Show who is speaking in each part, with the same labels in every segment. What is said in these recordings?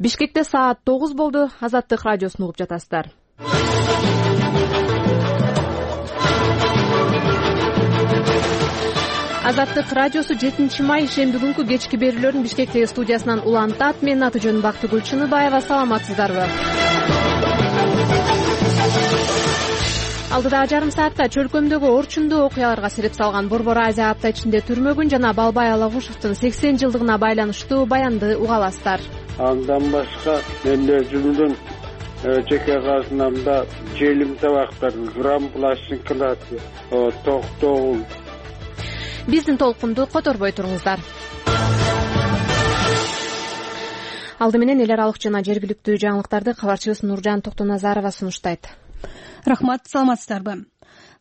Speaker 1: Бишкекте саат 9 болду. Азаттык радиосун угуп жатасыздар. Азаттык радиосу 7 май шемби күнкү кечки берүүлөрүн Бишкектеги студиясынан улантат. Менин аты жөнүм Бактыгүл Чыныбаева. Саламатсыздарбы? Алдыдагы жарым саатта чөлкөмдөгү орчундуу окуяларга себеп салган Борбор Азия апта ичинде түрмөгүн жана Балбай Алагушевдин 80 жылдыгына байланыштуу баянды уга аласыздар.
Speaker 2: Андан башка мен өзүмдүн жеке казынамда желим табактар, грамм пластинкалар, токтогул.
Speaker 1: Биздин толкунду которбой туруңуздар. Алды менен эл аралык жана жергиликтүү жаңылыктарды кабарчыбыз Нуржан Токтоназарова сунуштайт.
Speaker 3: Рахмат, саламатсыздарбы?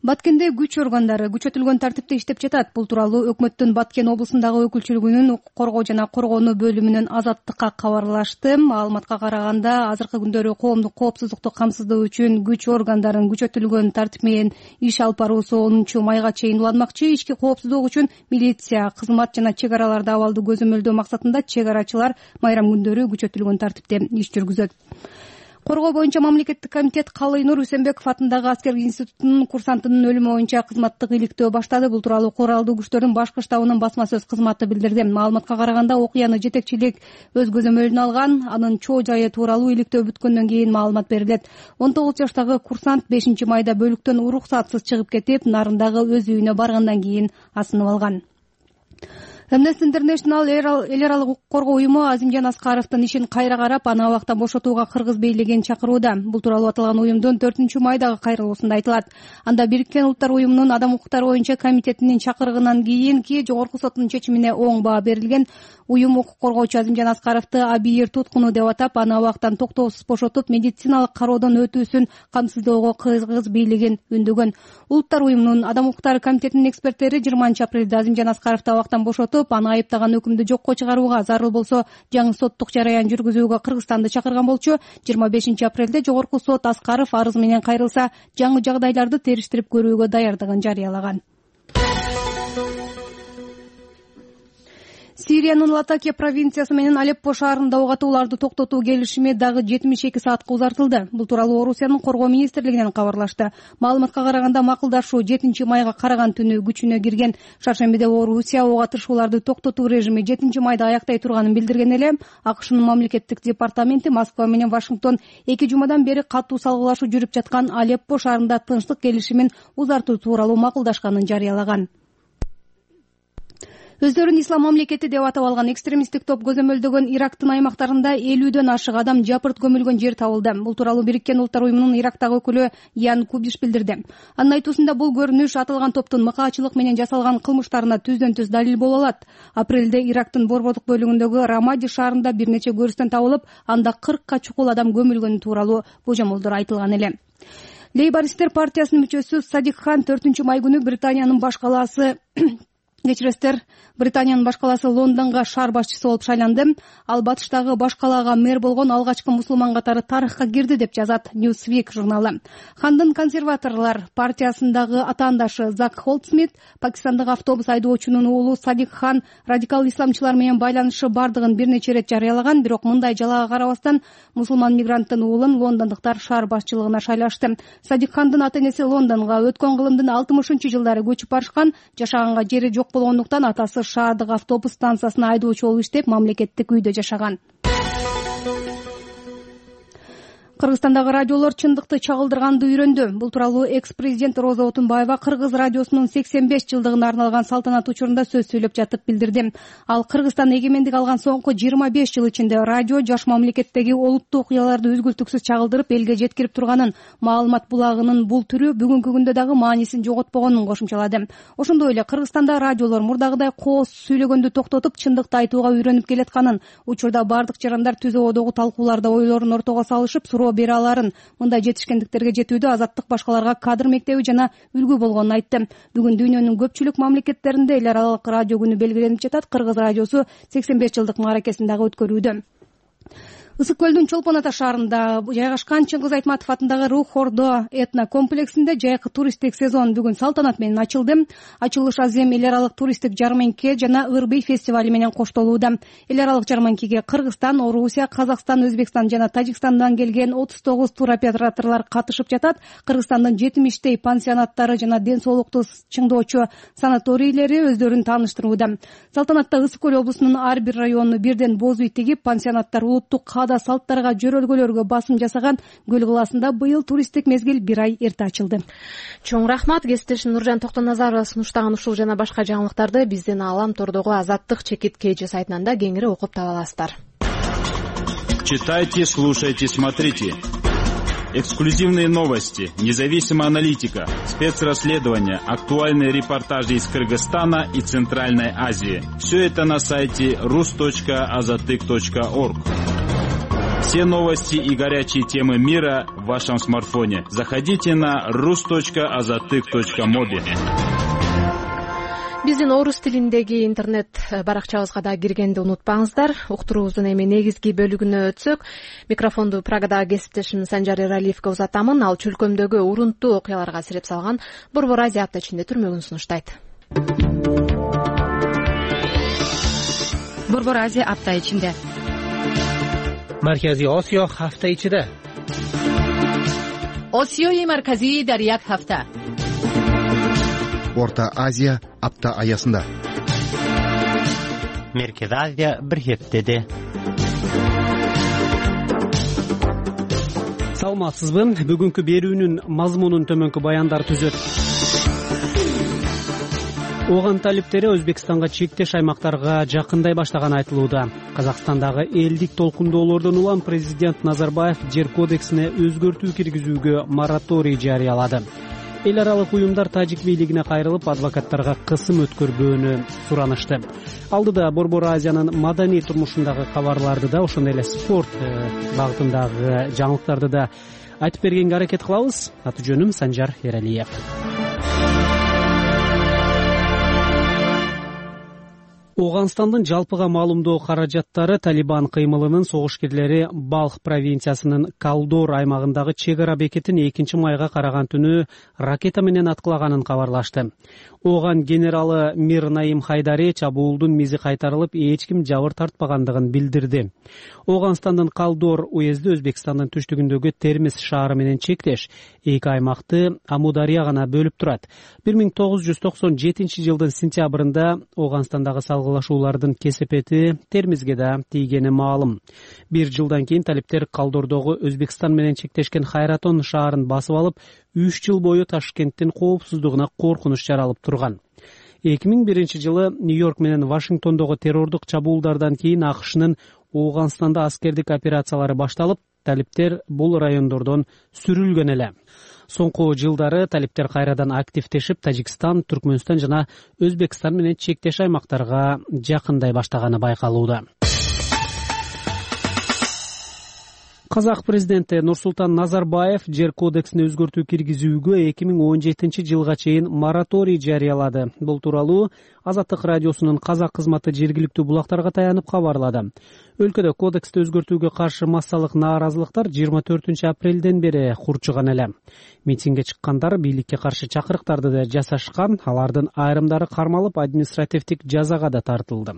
Speaker 3: Баткенде күч органдары күчөтүлгөн тартипте иштеп жатат. Бул тууралуу өкмөттүн Баткен облусундагы өкүлчүлүгүнүн укук коргоо жана коргонуу бөлүмүнүн Азаттыкка кабарлашты. Маалыматка караганда, азыркы күндөрү коомдук коопсуздукту камсыздоо үчүн күч органдарын күчөтүлгөн тартип менен иш алып баруусу 10-майга чейин уланмакчы. Ички коопсуздук үчүн милиция, кызмат жана чек араларды абалды көзөмөлдөө максатында чек арачылар майрам күндөрү күчөтүлгөн тартипте иш жүргүзөт. Коргоо боюнча мамлекеттик комитет Калыйнур Үсенбеков атындагы аскердик институтунун курсантынын өлүмү боюнча кызматтык иликтөө баштады. Бул тууралуу куралдуу күчтөрдүн башкы штабынын басма сөз кызматы билдирди. Маалыматка караганда, окуяны жетекчилик өз көзөмөлүнө алган, анын чоо жайы тууралуу иликтөө бүткөндөн кийин маалымат берилет. 19 жаштагы курсант 5-майда бөлүктөн уруксатсыз чыгып кетип, нарындагы өз үйүнө баргандан кийин асынып алган. Amnesty International эл аралык укук коргоо уюму Азимжан Аскаровдун ишин кайра карап, аны абактан бошотууга кыргыз бийлигин чакырууда. Бул тууралуу аталган уюмдун 4-майдагы кайрылуусунда айтылат. Анда Бириккен Улуттар уюмунун адам укуктары боюнча комитетинин чакырыгынан кийинки жогорку соттун чечимине оң баа берилген. Уюм укук коргоочу Азимжан Аскаровду абийир туткуну деп атап, аны абактан токтоосуз бошотуп, медициналык кароодон өтүүсүн камсыздоого кыргыз бийлигин үндөгөн. Улуттар уюмунун адам укуктары комитетинин эксперттери 20-апрелде Азимжан Аскаровду абактан бошотуп, аны айыптаган өкүмдү жокко чыгарууга, зарыл болсо жаңы соттук жараян жүргүзүүгө Кыргызстанды чакырган болчу. 25-апрелде жогорку сот Аскаров арыз менен кайрылса, жаңы жагдайларды териштирип көрүүгө даярдыгын жарыялаган. Сириянын Латакия провинциясы менен Алеппо шаарында ок атууларды токтотуу келишими дагы 72 саатка узартылды. Бул тууралуу Орусиянын коргоо министрлигинен кабарлашты. Маалыматка караганда, макулдашуу 7-майга караган түнү күчүнө кирген. Шаршембиде Орусия ок атышууларды токтотуу режими 7-майда аяктай турганын билдирген эле. АКШнын мамлекеттик департаменти Москва менен Вашингтон 2 жумадан бери катуу салгылашуу жүрүп жаткан Алеппо шаарында тынчтык келишимин узартуу тууралуу макулдашканын жарыялаган. Өздөрүн ислам мамлекети деп атап алган экстремисттик топ көзөмөлдөгөн Ирактын аймактарында 50дөн ашык адам жапырт көмүлгөн жер табылды. Бул тууралуу Бириккен Улуттар уюмунун Ирактагы өкүлү Ян Кубиш билдирди. Анын айтуусунда, бул көрүнүш аталган топтун мыкаачылык менен жасалган кылмыштарына түздөн-түз далил боло алат. Апрелде Ирактын борбордук бөлүгүндөгү Рамади шаарында бир нече көрүстөн табылып, анда 40ка чукул адам көмүлгөнү тууралуу божомолдор айтылган эле. Лейбористтер партиясынын мүчөсү Садик Хан 4-май күнү Британиянын баш калаасы Британиянын баш калаасы Лондонго шаар башчысы болуп шайланды. Ал батыштагы баш калаага мэр болгон алгачкы мусулман катары тарыхка кирди деп жазат Newsweek журналы. Хандын консерваторлор партиясындагы атаандашы Зак Холдсмит Пакистандагы автобус айдоочунун уулу Садик Хан радикал исламчылар менен байланышы бардыгын бир нече ирет жарыялаган. Бирок мындай жалаага карабастан, мусулман мигранттын уулун лондондуктар шаар башчылыгына шайлашты. Садик Хандын ата-энеси Лондонго өткөн кылымдын 60-жылдары көчүп барышкан. Жашаганга жери жок болгондуктан атасы шаардык автобус станциясына айдоочу болуп иштеп, мамлекеттик үйдө жашаган. Кыргызстандагы радиолор чындыкты чагылдырганды үйрөндү. Бул тууралуу экс-президент Роза Отунбаева Кыргыз радиосунун 85 жылдыгына арналган салтанат учурунда сөз сүйлөп жатып билдирди. Ал Кыргызстан эгемендик алган соңку 25 жыл ичинде радио жаш мамлекеттеги олуттуу окуяларды үзгүлтүксүз чагылдырып, элге жеткирип турганын, маалымат булагынын бул түрү бүгүнкү күндө дагы маанисин жоготпогонун кошумчалады. Ошондой эле Кыргызстанда радиолор мурдагыдай кооз сүйлөгөндү токтотуп, чындыкты айтууга үйрөнүп келатканын, учурда бардык жарандар түз абадагы талкууларда ойлорун ортого салышып, суроо бере аларын, мындай жетишкендиктерге жетүүдө Азаттык башкаларга кадр мектеби жана үлгү болгонун айтты. Бүгүн дүйнөнүн көпчүлүк мамлекеттеринде эл аралык радио күнү белгиленип жатат. Кыргыз радиосу 85 жылдык мааракесин дагы өткөрүүдө. Ысык көлдүн Чолпон Ата шаарында жайгашкан Чыңгыз Айтматов атындагы Рух Ордо этно комплексинде жайкы туристтик сезон бүгүн салтанат менен ачылды. Ачылыш азем эл аралык туристтик жарманке жана Ырбый фестивали менен коштолууда. Эл аралык жарманкеге Кыргызстан, Орусия, Казакстан, Өзбекстан жана Тажикстандан келген 39 туроператорлор катышып жатат. Кыргызстандын 70 пансионаттары жана ден соолукту чыңдоочу санаторийлери өздөрүн тааныштырууда. Салтанатта Ысык көл облусунун ар бир району бирден боз үй тигип, пансионаттар улуттук каада салттарга, жөрөлгөлөргө басым жасаган. Көл кылаасында быйыл туристтик мезгил бир ай эрте ачылды.
Speaker 1: Чоң рахмат. Кесиптешим Нуржан Токтоназарова сунуштаган ушул жана башка жаңылыктарды биздин Алам тордогу Азаттык чекит KG сайтынан да кеңири окуп таба аласыздар.
Speaker 4: Читайте, слушайте, смотрите. Эксклюзивные новости, независимая аналитика, спецрасследования, актуальные репортажи из Кыргызстана и Центральной Азии. Все это на сайте rus.azatyk.org. Все новости и горячие темы мира в вашем смартфоне. Заходите на rus.azatyk.mobi.
Speaker 1: Биздин орус тилиндеги интернет баракчабызга да киргенди унутпаңыздар. Уктуруубуздун эми негизги бөлүгүнө өтсөк, микрофонду Праgadагы кесиптешим Санжар Эралиевге узатамын. Ал чөлкөмдөгү урунттуу окуяларга сереп салган Борбор Азия апта ичинде түрмөгүн сунуштайт.
Speaker 5: Борбор Азия апта ичинде.
Speaker 6: Маркази Осиё ҳафта ичида.
Speaker 5: Осиёи марказӣ дар як ҳафта.
Speaker 7: Орта Азия апта аясында.
Speaker 6: Меркез Азия бир хептеде.
Speaker 8: Саламатсызбы? Бүгүнкү берүүнүн мазмунун төмөнкү баяндар түзөт. Ооган талиптери Өзбекстанга чектеш аймактарга жакындай баштаганы айтылууда. Казакстандагы элдик толкундоолордон улам президент Назарбаев жер кодексине өзгөртүү киргизүүгө мораторий жарыялады. Эл аралык уюмдар тажик бийлигине кайрылып, адвокаттарга кысым өткөрбөөнү суранышты. Алдыда Борбор Азиянын маданий турмушундагы кабарларды да, ошондой эле спорт багытындагы жаңылыктарды да айтып бергенге аракет кылабыз. Аты жөнүм Санжар Эралиев. Оганстандын жалпыга маалымдоо каражаттары Талибан кыймылынын согушкерлери Балх провинциясынын Калдор аймагындагы чек ара бекетин 2 майга караган түнү ракета менен аткылаганын кабарлашты. Оган генералы Мир Наим Хайдари чабуулдун мизи кайтарылып, эч ким жабыр тартпагандыгын билдирди. Оганстандын Калдор уезди Өзбекстандын түштүгүндөгү Термиз шаары менен чектеш. Эки аймакты Амудария гана бөлүп турат. 1997 жылдын сентябрында Оганстандагы салгылашуулардын кесепети Термизге да тийгени маалым. Бир жылдан кийин талиптер Калдордогу Өзбекстан менен чектешкен Хайратон шаарын басып алып, 3 жыл бою Ташкенттин коопсуздугуна коркунуч жаралып турган. 2001 жылы Нью-Йорк менен Вашингтондогу террордук чабуулдардан кийин АКШнын Оганстанда аскердик операциялары башталып, талиптер бул райондордон сүрүлгөн эле. Соңку жылдары талиптер кайрадан активдешип, Тажикстан, Түркмөнстан жана Өзбекстан менен чектеш аймактарга жакындай баштаганы байкалууда. Казак президенти Нурсултан Назарбаев жер кодексине өзгөртүү киргизүүгө 2017 жылга чейин мораторий жарыялады. Бул тууралуу Азаттык радиосунун казак кызматы жергиликтүү булактарга таянып кабарлады. Өлкөдө кодексти өзгөртүүгө каршы массалык нааразылыктар 24 апрелден бери курчуган эле. Митингге чыккандар бийликке каршы чакырыктарды да жасашкан, алардын айрымдары кармалып, административдик жазага да тартылды.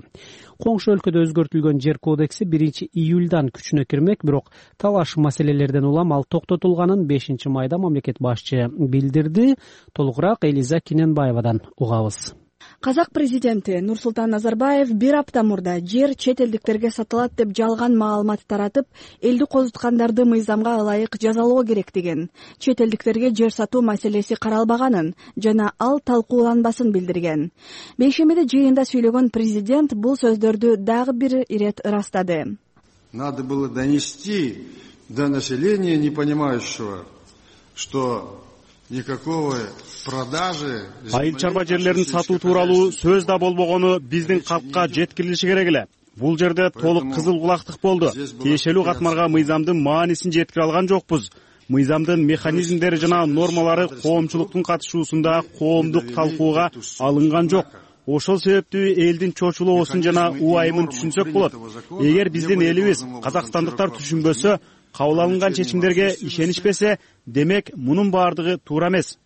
Speaker 8: Коңшу өлкөдө өзгөртүлгөн жер кодекси 1 июлдан күчүнө кирмек, бирок талаш маселелерден улам ал токтотулганын 5 майда мамлекет башчы билдирди. Толугураак Элиза Киненбаевадан угабыз.
Speaker 9: Казак президенти Нурсултан Назарбаев бир апта мурда жер чет элдиктерге сатылат деп жалган маалымат таратып, элди козуткандарды мыйзамга ылайык жазалоо керек деген, чет элдиктерге жер сатуу маселеси каралбаганын жана ал талкууланбасын билдирген. Бейшембиде жыйында сүйлөгөн президент бул сөздөрдү дагы бир ирет ырастады.
Speaker 10: Надо было донести до населения, не понимающего, что никакого продажи.
Speaker 11: Айыл чарба жерлерин сатуу тууралуу сөз да болбогону биздин калкка жеткирилиши керек эле. Бул жерде толук кызыл кулактык болду. Тиешелүү катмарга мыйзамдын маанисин жеткире алган жокпуз. Мыйзамдын механизмдери жана нормалары коомчулуктун катышуусунда коомдук талкууга алынган жок. Ошол себептүү элдин чочулоосун жана убайымын түшүнсөк болот. Эгер биздин элибиз, казакстандыктар түшүнбөсө, кабыл алынган чечимдерге ишенишпесе, демек мунун баардыгы туура эмес.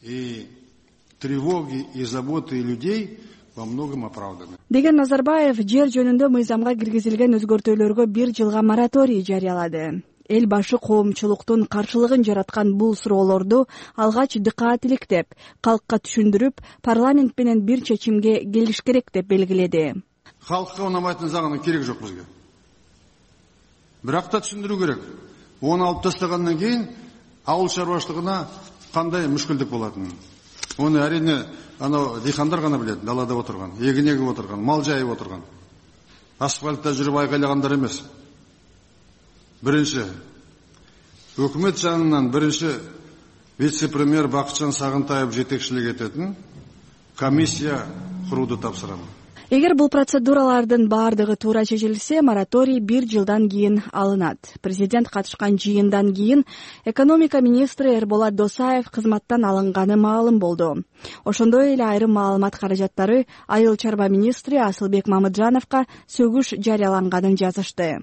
Speaker 10: И тревоги и заботы людей во многом оправданы.
Speaker 9: Деген Назарбаев жер жөнүндө мыйзамга киргизилген өзгөртүүлөргө 1 жылга мораторий жарыялады. Эл башы коомчулуктун каршылыгын жараткан бул суроолорду алгач дыкаат иликтеп, калкка түшүндүрүп, парламент менен бир чечимге келиш керек деп белгиледи.
Speaker 10: Халкка унамайтын заганы керек жок бизге. Бирок да түшүндүрүү керек. Оны алып тастагандан кийин ауыл чарбаштыгына кандай мүшкүлдүк болатынын. Оны әрине анау дыйкандар гана билет, далада отурган, эгин эгип отурган, мал жайып отурган. Асфальтта жүрүп айкайлагандар эмес. Биринчи, өкмөт жанынан биринчи вице-премьер Бакытжан Сагынтаев жетекчилик этетін комиссия курууду тапсырам.
Speaker 9: Эгер бул процедуралардын баардыгы туура чечилсе, мораторий 1 жылдан кийин алынат. Президент катышкан жыйындан кийин экономика министри Эрболот Досаев кызматтан алынганы маалым болду. Ошондой эле айрым маалымат каражаттары айыл чарба министри Асылбек Мамыджановго сөгүш жарыяланганын жазышты.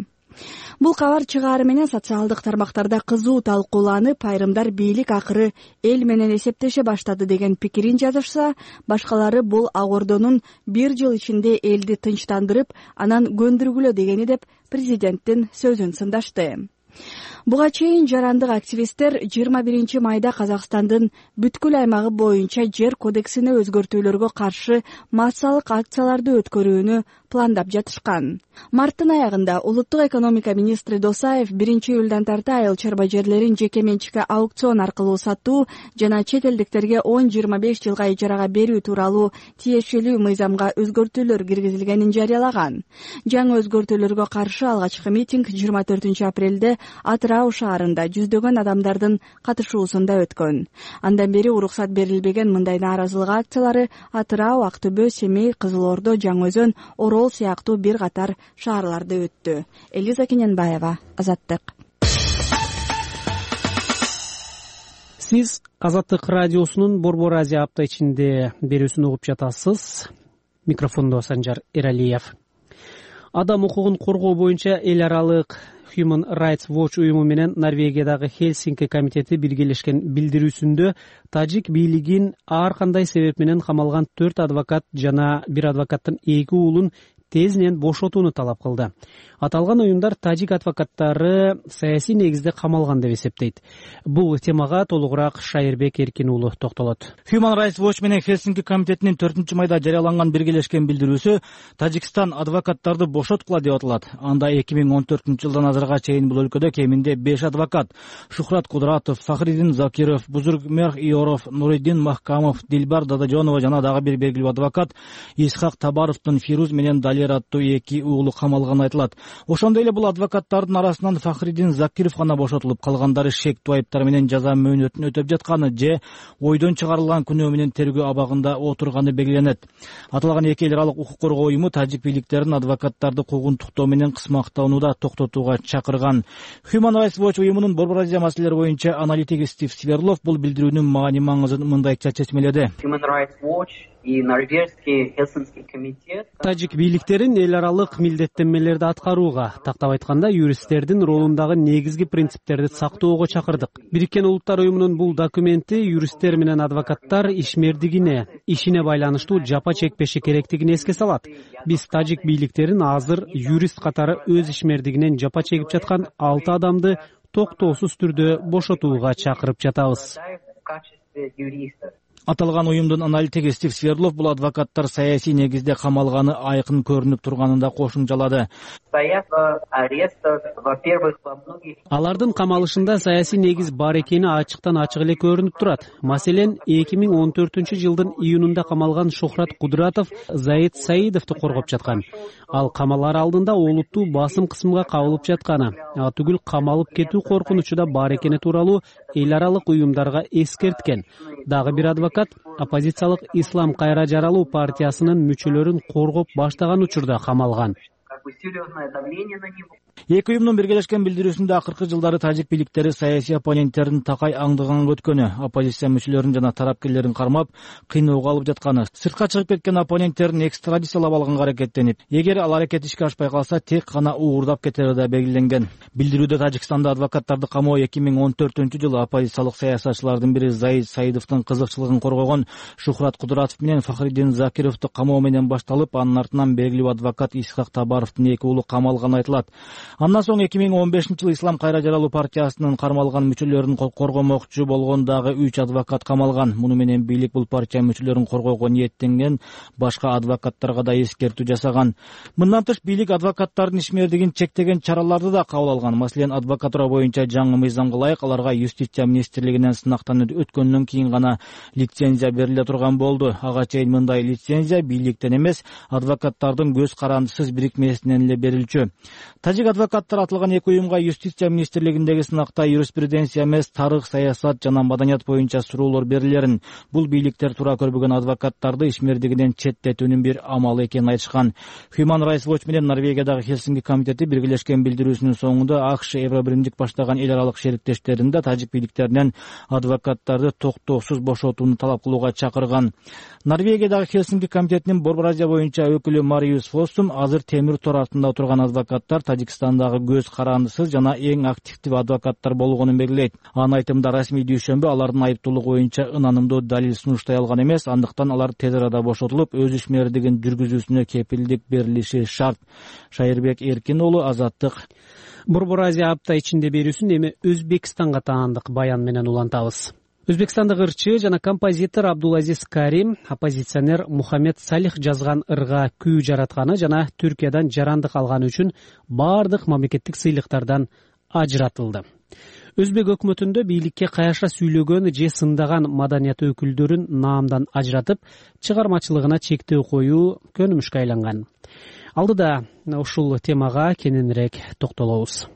Speaker 9: Бул кабар чыгаары менен социалдык тармактарда кызуу талкууланып, айрымдар бийлик акыры эл менен эсептеше баштады деген пикирин жазышса, башкалары бул агордонун 1 жыл ичинде элди тынчтандырып, анан көндүргүлө дегени деп президенттин сөзүн сындашты. Буга чейин жарандык активисттер 21 майда Казакстандын бүткүл аймагы боюнча жер кодексине өзгөртүүлөргө каршы массалык акцияларды өткөрүүнү пландап жатышкан. Марттын аягында улуттук экономика министри Досаев 1 июлдан тарта айыл чарба жерлерин жеке менчикке аукцион аркылуу сатуу жана чет элдиктерге 10-25 жылга ижарага берүү тууралуу тиешелүү мыйзамга өзгөртүүлөр киргизилгенин жарыялаган. Жаңы өзгөртүүлөргө каршы алгачкы митинг 24 апрелде Атырау шаарында жүздөгөн адамдардын катышуусунда өткөн. Андан бери уруксат берилбеген мындай нааразылык акциялары Атырау, Актөбө, Семей, Кызыл Ордо, Жаңы-Өзөн, Орол сыяктуу бир катар шаарларда өттү. Элиза Кененбаева, Азаттык.
Speaker 8: Сиз Азаттык радиосунун Борбор Азия апта ичинде берүүсүн угуп жатасыз. Микрофондо Санжар Эралиев. Адам укугун коргоо боюнча эл аралык Human Rights Watch уюму менен Норвегиядагы Хельсинки комитети биргелешкен билдирүүсүндө тажик бийлигин ар кандай себеп менен камалган 4 адвокат жана 1 адвокаттын 2 уулун тезинен бошотууну талап кылды. Аталган уюмдар тажик адвокаттары саясий негизде камалган деп эсептейт. Бул темага толугураак Шайырбек Эркин уулу токтолот.
Speaker 12: Human Rights Watch менен Хельсинки комитетинин 4 майда жарыяланган биргелешкен билдирүүсү Тажикстан адвокаттарды бошоткула деп аталат. Анда 2014 жылдан азырга чейин бул өлкөдө кеминде 5 адвокат Шухрат Кудратов, Фахриддин Закиров, Бузургмер Иоров, Нуриддин Махкамов, Дилбар Дадажонова жана дагы бир белгилүү адвокат Исхак Табаровдун Фируз менен Далер аттуу 2 уулу камалганы айтылат. Ошондой эле бул адвокаттардын арасынан Фахриддин Закиров гана бошотулуп, калгандары шектүү айыптар менен жаза мөөнөтүн өтөп жатканы же ойдон чыгарылган күнөө менен тергөө абагында отурганы белгиленет. Аталган 2 эл аралык укук коргоо уюму тажик бийликтерин адвокаттарды куугунтуктоо менен кысмактоону токтотууга чакырган. Human Rights Watch уюмунун Борбор Азия маселелери боюнча аналитиги Стив Сверлов бул билдирүүнүн маани-маңызын мындайча чечмеледи.
Speaker 13: Human Rights Watch и норвежский Хельсинский комитет
Speaker 8: тажик бийликтерин эл аралык милдеттенмелерди аткарууга, тактап айтканда юристтердин ролундагы негизги принциптерди сактоого чакырдык. Бириккен Улуттар уюмунун бул документи юристтер менен адвокаттар ишмердигине, ишине байланыштуу жапа чекпеши керектигин эске салат. Биз тажик бийликтерин азыр юрист катары өз ишмердигинен жапа чегип жаткан 6 адамды токтоосуз түрдө бошотууга чакырып жатабыз.
Speaker 12: Аталган уюмдун аналитиги Стив Сверлов бул адвокаттар саясий негизде камалганы айкын көрүнүп турганын да кошумчалады.
Speaker 8: Алардын камалышында саясий негиз бар экени ачыктан ачык эле көрүнүп турат. Маселен, 2014 жылдын июнунда камалган Шухрат Кудратов Заид Саидовду коргоп жаткан. Ал камалар алдында олуттуу басым кысымга кабылып жатканы, түгүл камалып кетүү коркунучу да бар экени тууралуу эл аралык уюмдарга эскерткен. Дагы бир адвокат оппозициялык Ислам кайра жаралуу партиясынын мүчөлөрүн коргоп баштаган учурда камалган.
Speaker 13: такое серьезное давление на него.
Speaker 12: Эки уюмдун биргелешкен билдирүүсүндө акыркы жылдары тажик бийликтери саясий оппоненттерин такай аңдыганга өткөнү, оппозиция мүчөлөрүн жана тарапкерлерин кармап, кыйноого алып жатканы, сыртка чыгып кеткен оппоненттерин экстрадициялап алганга аракеттенип, эгер ал аракет ишке ашпай калса, тек гана уурдап кетери да белгиленген. Билдирүүдө Тажикстанда адвокаттарды камоо 2014-жылы оппозициялык саясатчылардын бири Заид Саидовдун кызыкчылыгын коргогон Шухрат Кудратов менен Фахриддин Закировду камоо менен башталып, анын артынан белгилүү адвокат Исхак Табаровдун эки уулу камалганы айтылат. Андан соң 2015-жылы Ислам Кайра жаралуу партиясынын кармалган мүчөлөрүн коргомокчу болгон дагы 3 адвокат камалган. Муну менен бийлик бул партия мүчөлөрүн коргоого ниеттенген башка адвокаттарга да эскертүү жасаган. Мындан тыш бийлик адвокаттардын ишмердигин чектеген чараларды да кабыл алган. Маселен, адвокатура боюнча жаңы мыйзамга ылайык аларга Юстиция министрлигинен сынактан өткөндөн кийин гана лицензия бериле турган болду. Ага чейин мындай лицензия бийликтен эмес, адвокаттардын көз карандысыз бирикмесинен эле берилчү. Тажик адвокаттар атылган эки уюмга Юстиция министрлигиндеги сынакта юриспруденция эмес, тарых, саясат жана маданият боюнча суроолор берилерин, бул бийликтер туура көрбөгөн адвокаттарды ишмердигинен четтетүүнүн бир амалы экенин айтышкан. Human Rights Watch менен Норвегиядагы Хелсинки комитети биргелешкен билдирүүсүнүн соңунда АКШ, Евробиримдик баштаган эл аралык шериктердин да тажик бийликтеринен адвокаттарды токтоосуз бошотууну талап кылууга чакырган. Норвегиядагы Хелсинки комитетинин Борбор Азия боюнча өкүлү Мариус Фоссум азыр темир тор артында отурган адвокаттар Тажикстандагы көз карандысыз жана эң активдүү адвокаттар болгонун белгилейт. Анын айтымында, расмий дүйшөмбү алардын айыптуулугу боюнча ынанымдуу далил сунуштай алган эмес, андыктан алар тез арада бошотулуп, өз ишмердигин жүргүзүүсүнө кепилдик берилиши шарт. Шайырбек Эркин уулу, Азаттык.
Speaker 8: Борбор Азия апта ичинде берүүсүн эми Өзбекстанга таандык баян менен улантабыз. Өзбекстандык ырчы жана композитор Абдулазиз Карим оппозиционер Мухаммед Салих жазган ырга күү жаратканы жана Түркиядан жарандык алганы үчүн бардык мамлекеттик сыйлыктардан ажыратылды. Өзбек өкмөтүндө бийликке каяша сүйлөгөн же сындаган маданият өкүлдөрүн наамдан ажыратып, чыгармачылыгына чектөө коюу көнүмүшкө айланган. Алдыда ушул темага кененирээк токтолобуз.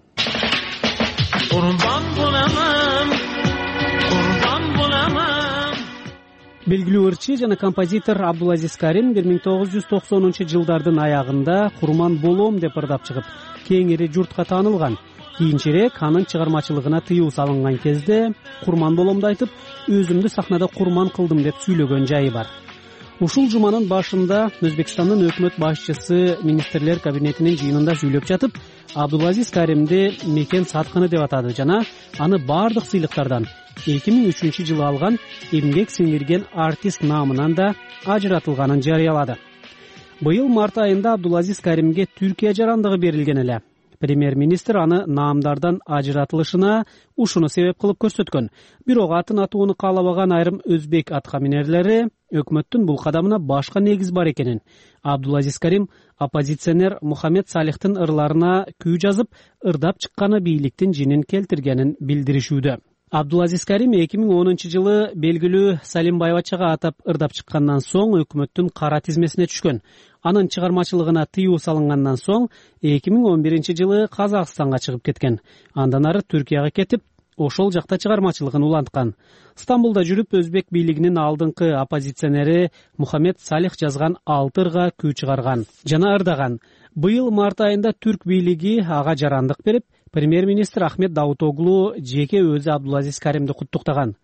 Speaker 8: Белгилүү ырчы жана композитор Абдулазиз Карим 1990-жылдардын аягында курман болом деп ырдап чыгып, кеңири журтка таанылган. Кийинчерээк анын чыгармачылыгына тыюу салынган кезде курман боломду айтып, өзүмдү сахнада курман кылдым деп сүйлөгөн жайы бар. Ушул жуманын башында Өзбекстандын өкмөт башчысы министрлер кабинетинин жыйынында сүйлөп жатып, Абдулазиз Каримди мекен саткыны деп атады жана аны бардык сыйлыктардан 2003-жылы алган эмгек сиңирген артист наамынан да ажыратылганын жарыялады. Быйыл март айында Абдулазиз Каримге Түркия жарандыгы берилген эле. Премьер-министр аны наамдардан ажыратылышына ушуну себеп кылып көрсөткөн. Бирок атын атууну каалабаган айрым өзбек аткаминерлери өкмөттүн бул кадамына башка негиз бар экенин, Абдулазиз Карим оппозиционер Мухаммед Салихтин ырларына күү жазып, ырдап чыкканы бийликтин жинин келтиргенин билдиришүүдө. Абдулазиз Карим 2010-жылы белгилүү Салим Байбачага атап ырдап чыккандан соң өкмөттүн кара тизмесине түшкөн. Анын чыгармачылыгына тыюу салынгандан соң 2011-жылы Казакстанга чыгып кеткен. Андан ары Түркияга кетип, ошол жакта чыгармачылыгын уланткан. Стамбулда жүрүп өзбек бийлигинин алдыңкы оппозиционери Мухаммед Салих жазган 6 ырга күү чыгарган жана ырдаган. Быйыл март айында түрк бийлиги ага жарандык берип, премьер-министр Ахмет Давутоглу жеке өзү Абдулазиз Каримди куттуктаган.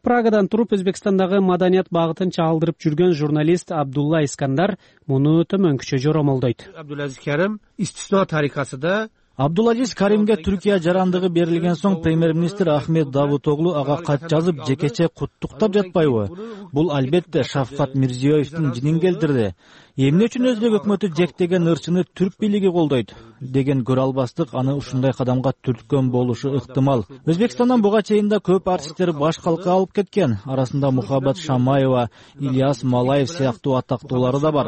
Speaker 8: Прагадан туруп Өзбекстандагы маданият багытын чагылдырып жүргөн журналист Абдулла Искандар муну төмөнкүчө жоромолдойт.
Speaker 14: Абдулазиз Карим истисно тарикасында
Speaker 12: Абдулазиз Каримге Түркия жарандыгы берилген соң премьер-министр Ахмет Давутоглу ага кат жазып жекече куттуктап жатпайбы? Бул албетте Шавкат Мирзиёевдин жинин келтирди. Эмне үчүн өзбек өкмөтү жектеген ырчыны түрк бийлиги колдойт деген көрө албастык аны ушундай кадамга түрткөн болушу ыктымал. Өзбекстандан буга чейин да көп артисттер баш калка алып кеткен. Арасында Мухаббат Шамаева, Ильяс Малаев сыяктуу атактуулары да бар.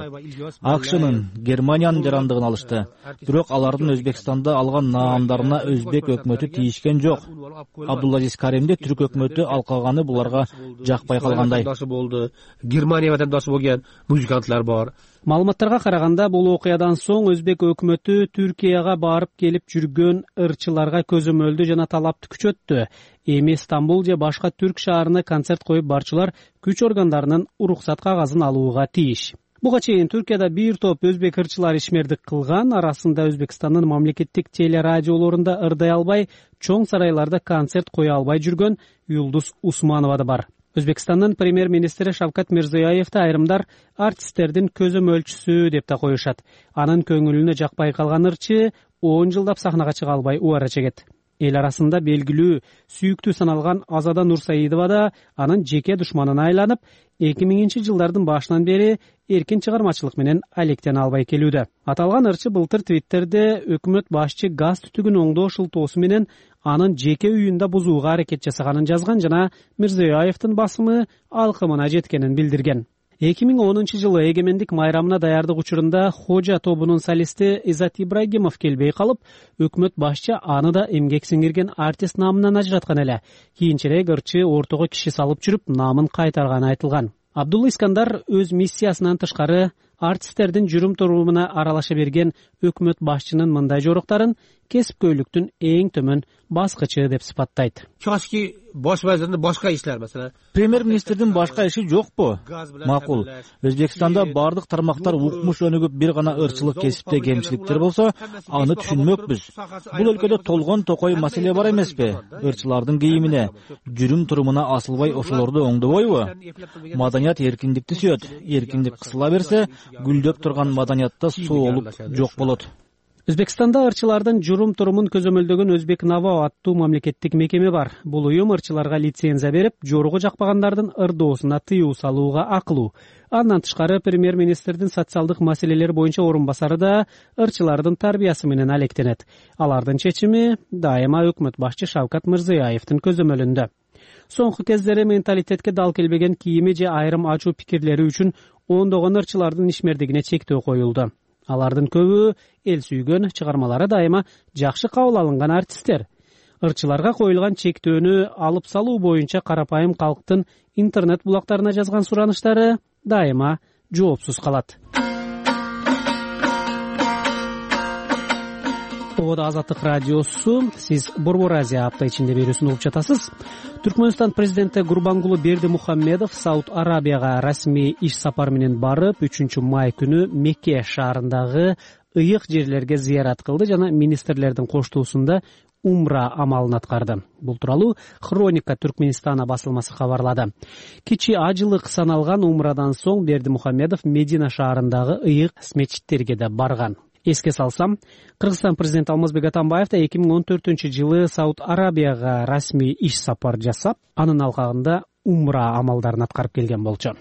Speaker 12: АКШнын, Германиянын жарандыгын алышты. Бирок алардын Өзбекстанда алган наамдарына өзбек өкмөтү тийишкен жок. Абдулазиз Каримди түрк өкмөтү алкаганы буларга жакпай калгандай.
Speaker 14: Германия ватандасы болгон музыканттар бар.
Speaker 8: Маалыматтарга караганда, бул окуядан соң өзбек өкмөтү Түркияга барып келип жүргөн ырчыларга көзөмөлдү жана талапты күчөттү. Эми Стамбул же башка түрк шаарына концерт коюп барчылар күч органдарынын уруксат кагазын алууга тийиш. Буга чейин Түркияда бир топ өзбек ырчылары ишмердик кылган. Арасында Өзбекстандын мамлекеттик телерадиолорунда ырдай албай, чоң сарайларда концерт кое албай жүргөн Юлдуз Усманова да бар. Өзбекстандын премьер-министри Шавкат Мирзиёевди айрымдар артисттердин көзөмөлчүсү деп да коюшат. Анын көңүлүнө жакпай калган ырчы 10 жылдап сахнага чыга албай убара чегет. Эл арасында белгилүү, сүйүктүү саналган Азада Нурсаидова да анын жеке душманына айланып, 2000-жылдардын башынан бери эркин чыгармачылык менен алектене албай келүүдө. Аталган ырчы былтыр Твиттерде өкмөт башчы газ түтүгүн оңдоо шылтоосу менен анын жеке үйүндө бузууга аракет жасаганын жазган жана Мирзиёевдин басымы алкымына жеткенин билдирген. 2010-жылы эгемендик майрамына даярдык учурунда Хожа тобунун солисти Изат Ибрагимов келбей калып, өкмөт башчы аны да эмгек сиңирген артист намынан ажыраткан эле. Кийинчерээк ырчы ортого киши салып жүрүп, намын кайтарганы айтылган. Абдулла Искандар өз миссиясынан тышкары артисттердин жүрүм турумуна аралаша берген өкмөт башчынын мындай жоруктарын кесипкөйлүктүн эң төмөн баскычы деп сыпаттайт.
Speaker 14: Чашки bosh vazirning boshqa ishlari, masalan,
Speaker 12: премьер-министрдин башка иши жокпу? Макул. Өзбекстанда бардык тармактар укмуш өнүгүп, бир гана ырчылык кесипте кемчиликтер болсо, аны түшүнмөкпүз. Бул өлкөдө толгон токой маселе бар эмеспи? Ырчылардын кийимине, жүрүм турумуна асылбай ошолорду оңдобойбу? Маданият эркиндикти сүйөт. Эркиндик кысыла берсе, гүлдөп турган маданиятта соолук жок болот.
Speaker 8: Өзбекстанда ырчылардын жүрүм турумун көзөмөлдөгөн Өзбек Наво аттуу мамлекеттик мекеме бар. Бул уюм ырчыларга лицензия берип, жоругу жакпагандардын ырдоосуна тыюу салууга акылуу. Андан тышкары премьер-министрдин социалдык маселелер боюнча орун басары да ырчылардын тарбиясы менен алектенет. Алардын чечими дайыма өкмөт башчы Шавкат Мирзиёевдин көзөмөлүндө. Соңку кездери менталитетке дал келбеген кийими же айрым ачуу пикирлери үчүн ондогон ырчылардын ишмердигине чектөө коюлду. Алардын көбү эл сүйгөн, чыгармалары дайыма жакшы кабыл алынган артисттер. Ырчыларга коюлган чектөөнү алып салуу боюнча карапайым калктын интернет булактарына жазган сураныштары дайыма жоопсуз калат. Ода Азаттык радиосу, сиз Борбор Азия апта ичинде берүүсүн угуп жатасыз. Түркмөнстан президенти Гурбангулы Бердимухаммедов Сауд Арабияга расмий иш сапар менен барып, 3-май күнү Мекке шаарындагы ыйык жерлерге зыярат кылды жана министрлердин коштуусунда умра амалын аткарды. Бул тууралуу Хроника Түркменистана басылмасы кабарлады. Кичи ажылык саналган умрадан соң Бердимухаммедов Медина шаарындагы ыйык мечиттерге да барган. Эске салсам, Кыргызстан президенти Алмазбек Атамбаев да 2014-жылы Сауд Арабияга расмий иш сапар жасап, анын алкагында умра амалдарын аткарып келген болчу.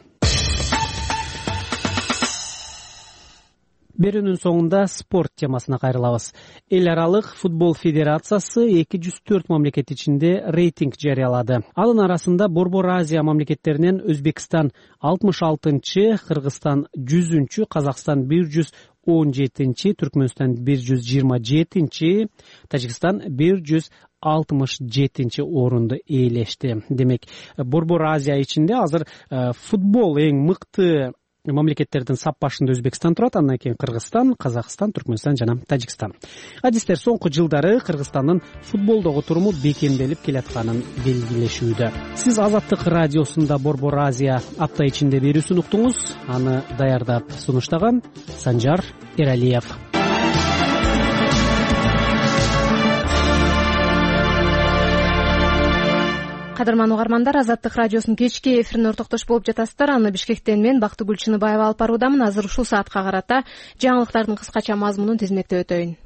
Speaker 8: Берүүнүн соңунда спорт темасына кайрылабыз. Эл аралык футбол федерациясы 204 мамлекет ичинде рейтинг жарыялады. Анын арасында Борбор Азия мамлекеттеринен Өзбекстан 66-чы, Кыргызстан 100-чү, Казакстан 117-чи, Түркмөнстан 127-чи, Тажикстан 167-чи орунду ээлешти. Демек, Борбор Азия ичинде азыр футбол эң мыкты мамлекеттердин сап башында Өзбекстан турат, андан кийин Кыргызстан, Казакстан, Түркмөнстан жана Тажикстан. Адистер соңку жылдары Кыргызстандын футболдогу туруму бекемделип келатканын белгилешүүдө. Сиз Азаттык радиосунда Борбор Азия апта ичинде берүүсүн уктуңуз. Аны даярдап сунуштаган Санжар Эралиев.
Speaker 1: Кадырман угармандар, Азаттык радиосунун кечки эфирине ортоктош болуп жатасыздар. Аны Бишкектен мен Бактыгүл Чыныбаева алып баруудамын. Азыр ушул саатка карата жаңылыктардын кыскача мазмунун тизмектеп өтөйүн.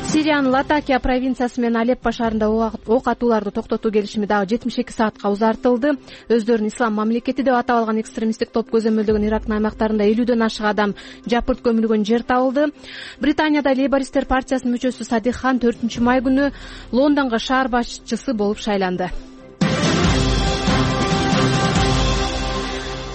Speaker 1: Сириянын Латакия провинциясы менен Алеппо шаарында ок атууларды токтотуу келишими дагы 72 саатка узартылды. Өздөрүн ислам мамлекети деп атап алган экстремисттик топ көзөмөлдөгөн Ирактын аймактарында 50дөн ашык адам жапырт көмүлгөн жер табылды. Британияда Лейбористтер партиясынын мүчөсү Садик Хан 4-май күнү Лондонго шаар башчысы болуп шайланды.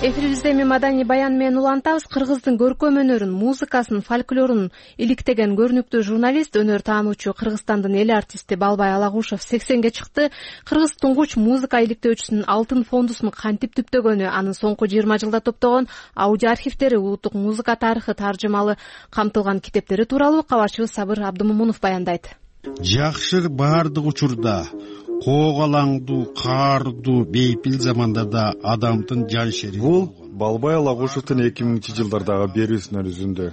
Speaker 1: Эфирибизде эми маданий баян менен улантабыз. Кыргыздын көркөм өнөрүн, музыкасын, фольклорун иликтеген көрүнүктүү журналист, өнөр таануучу Кыргызстандын эл артисти Балбай Алагушев 80-ге чыкты. Кыргыз туңгуч музыка иликтөөчүсүнүн алтын фондусун кантип түптөгөнү, анын соңку 20 жылда топтогон аудио архивдери, улуттук музыка тарыхы таржымалы камтылган китептери тууралуу кабарчыбыз Сабыр Абдымомунов баяндайт.
Speaker 7: Жакшы баардык учурда коогалаңдуу, каардуу, бейпил замандарда адамдын жан шери.
Speaker 15: Бул Балбай Алагушевдин 2000-жылдардагы берүүсүнөн үзүндү.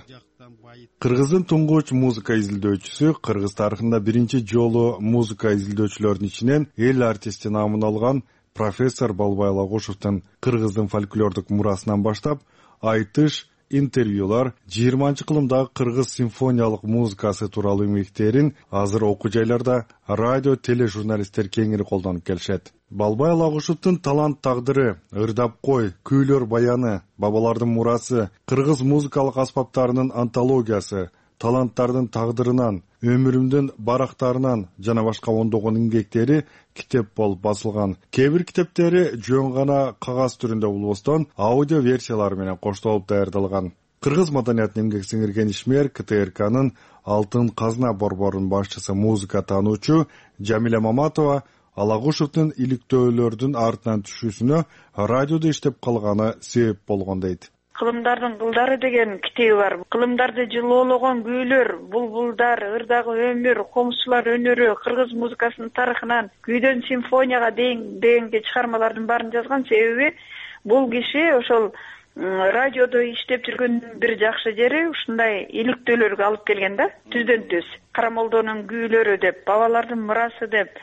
Speaker 15: Кыргыздын туңгуч музыка изилдөөчүсү, кыргыз тарыхында биринчи жолу музыка изилдөөчүлөрдүн ичинен эл артисти наамын алган профессор Балбай Алагушевдин кыргыздын фольклордук мурасынан баштап айтыш, интервьюлар, 20-кылымдагы кыргыз симфониялык музыкасы тууралуу эмгектерин азыр окуу жайларда радио, тележурналисттер кеңири колдонуп келишет. Балбай Алагушевдин талант тагдыры, ырдап кой, күүлөр баяны, бабалардын мурасы, кыргыз музыкалык аспаптарынын антологиясы, таланттардын тагдырынан, өмүрүмдүн барактарынан жана башка ондогон эмгектери китеп болуп басылган. Кээ бир китептери жөн гана кагаз түрүндө болбостон аудио версиялары менен коштолуп даярдалган. Кыргыз маданиятына эмгек сиңирген ишмер КТРКнын Алтын казна борборунун башчысы, музыка таануучу Жамиля Маматова Алагушевдин иликтөөлөрдүн артынан түшүүсүнө радиодо иштеп калганы себеп болгон дейт.
Speaker 16: Кылымдардын кылдары деген китеби бар. Кылымдарды жылоологон күүлөр, булбулдар, ырдагы өмүр, комузчулар өнөрү, кыргыз музыкасынын тарыхынан күйдөн симфонияга дегенге чыгармалардын баарын жазган. Себеби бул киши ошол радиодо иштеп жүргөндүн бир жакшы жери ушундай иликтөөлөргө алып келген да. Түздөн түз Карамолдонун күүлөрү деп, бабалардын мурасы деп,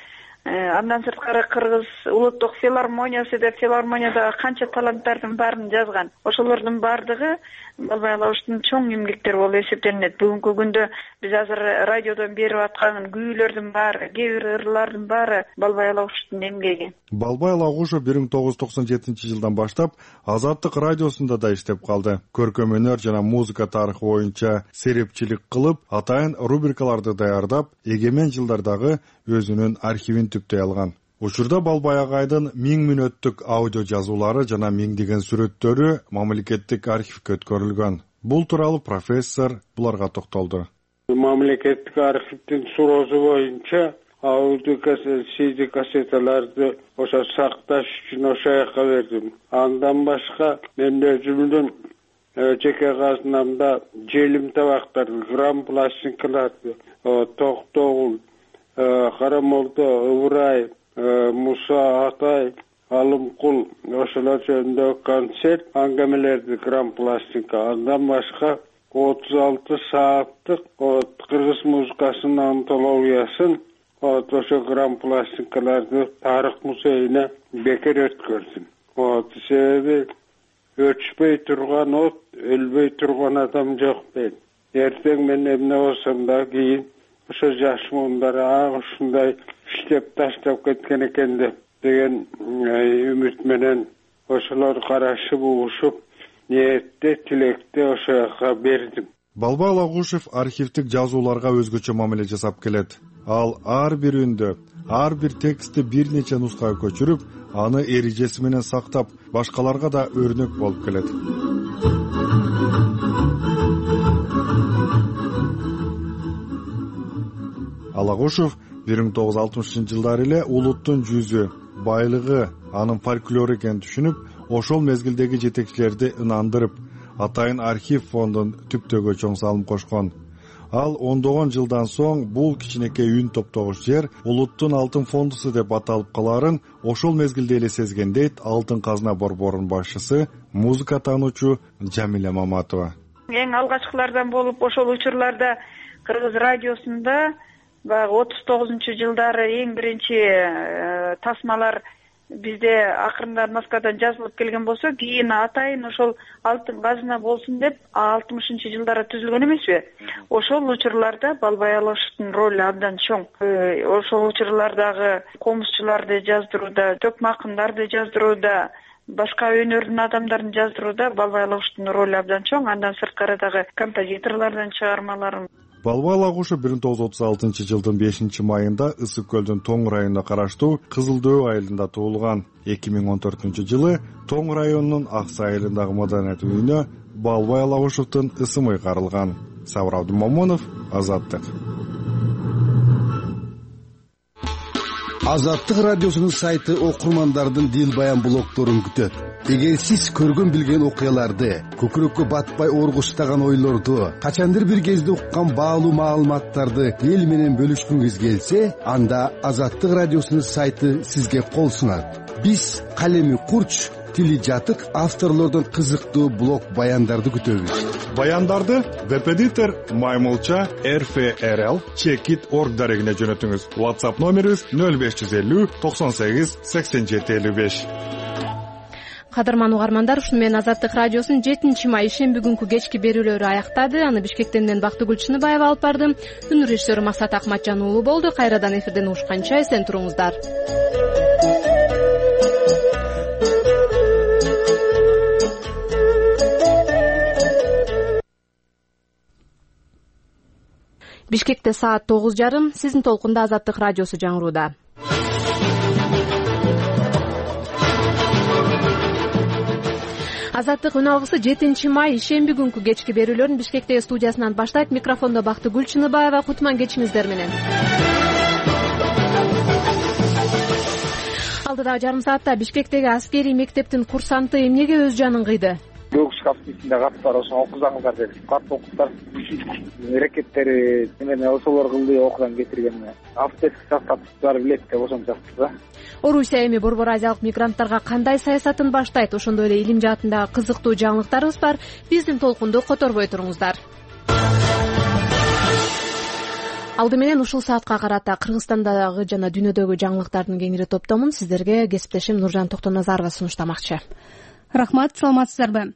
Speaker 16: андан сырткары кыргыз улуттук филармониясы деп, филармониядагы канча таланттардын баарын жазган. Ошолордун баардыгы Балбай Алагушевдин чоң эмгектери болуп эсептелинет. Бүгүнкү күндө биз азыр радиодон берип аткан күүлөрдүн баары, кээ бир ырлардын баары Балбай Алагушевдин эмгеги.
Speaker 15: Балбай Алагушев 1997-жылдан баштап Азаттык радиосунда да иштеп калды. Көркөм өнөр жана музыка тарыхы боюнча серепчилик кылып, атайын рубрикаларды даярдап, эгемен жылдардагы өзүнүн архивин түптөй алган. Учурда Балбай агайдын 1000 мүнөттүк аудио жазуулары жана миңдеген сүрөттөрү мамлекеттик архивге өткөрүлгөн. Бул тууралуу профессор буларга токтолду.
Speaker 2: Мамлекеттик архивдин суроосу боюнча аудио CD кассеталарды ошо сакташ үчүн ошо жака бердим. Андан башка мен өзүмдүн жеке казынамда желим табактар, грамм пластинкаларды, Токтогул, Карамолдо, Ыбырай, Муса Атай, Алымкул, ошолор жөнүндө концерт аңгемелерди грамм пластинка. Андан башка 36 сааттык кыргыз музыкасынын антологиясын ошо грамм пластинкаларды тарых музейине бекер өткөрдүм. Себеби өчпөй турган от, өлбөй турган адам жок дейт. Эртең мен эмне болсом да кийин ошо жаш муундар ушундай иштеп таштап кеткен экен деген үмүт менен ошолор карашып, угушуп, ниетте, тилекте ошо жака бердим.
Speaker 15: Балбай Алагушев архивдик жазууларга өзгөчө мамиле жасап келет. Ал ар бир үндө, ар бир текстти бир нече нускага көчүрүп, аны эрежеси менен сактап, башкаларга да өрнөк болуп келет. Алагушев 1960-жылдары эле улуттун жүзү, байлыгы, анын фольклору экенин түшүнүп, ошол мезгилдеги жетекчилерди ынандырып, атайын архив фондун түптөгө чоң салым кошкон. Ал ондогон жылдан соң бул кичинекей үн топтогуч жер улуттун алтын фондусу деп аталып калаарын ошол мезгилде эле сезген дейт Алтын казна борборунун башчысы, музыка таануучу Жамиля Маматова.
Speaker 16: Эң алгачкылардан болуп ошол учурларда кыргыз радиосунда баягы 39-жылдары эң биринчи тасмалар бизде акырында Москвадан жазылып келген болсо, кийин атайын ошол Алтын казна болсун деп 60-жылдары түзүлгөн эмеспи? Ошол учурларда Балбай Алагушевдин ролу абдан чоң. Ошол учурлардагы комузчуларды жаздырууда, төкмакындарды жаздырууда, башка өнөрдүн адамдарын жаздырууда Балбай Алагушевдин ролу абдан чоң. Андан сырткары дагы композиторлордун чыгармаларын.
Speaker 15: Балбай Алагушев 1936-жылдын 5-майында Ысык көлдүн Тоң районуна караштуу Кызылдөө айылында туулган. 2014-жылы Тоң районунун Аксы айылындагы маданият үйүнө Балбай Алагушевдин ысымы карылган. Сабыр Абдумомунов, Азаттык.
Speaker 7: Азаттык радиосунун сайты окурмандардын дил баян блогдорун күтөт.
Speaker 17: Эгер сиз көргөн билген окуяларды, көкүрөккө батпай ооргустаган ойлорду, качандыр бир кезде уккан баалуу маалыматтарды эл менен бөлүшкүңүз келсе, анда Азаттык радиосунун сайты сизге кол сунат. Биз калеми курч, тили жатык авторлордон кызыктуу блог баяндарды күтөбүз.
Speaker 15: Баяндарды Веб-эдитор Маймылча rfrl.org дарегине жөнөтүңүз. WhatsApp номерибиз 0550 98 87 55.
Speaker 1: Кадырман угармандар, ушуну менен Азаттык радиосунун 7 май ишемби күнкү кечки берүүлөрү аяктады. Аны Бишкектен мен Бактыгүл Чыныбаева алып бардым. Күн режиссеру Максат Акматжан уулу болду. Кайрадан эфирден угушканча эсен туруңуздар. Бишкекте саат 9:30. Сиздин толкунда Азаттык радиосу жаңырууда. Азаттык үн алгысы 7 май ишемби күнкү кечки берүүлөрүн Бишкектеги студиясынан баштайт. Микрофондо Бактыгүл Чыныбаева. Кутман кечиңиздер менен. Алдыдагы жарым саатта Бишкектеги аскерий мектептин курсанты эмнеге өз жанын кыйды?
Speaker 18: Көк шкафтын каты бар, ошону окузаңыздар деп. Катты окуттар. Ракеттери эмне ошолор кылды, окудан кетирген. Автотест сактап билет деп ошону жазды да.
Speaker 1: Орусия эми Борбор Азиялык мигранттарга кандай саясатын баштайт? Ошондой эле илим жаатындагы кызыктуу жаңылыктарыбыз бар. Биздин толкунду которбой туруңуздар. Алды менен ушул саатка карата Кыргызстандагы жана дүйнөдөгү жаңылыктардын кеңири топтомун сиздерге кесиптешим Нуржан Токтоназарова сунуштамакчы.
Speaker 3: Рахмат, саламатсыздарбы?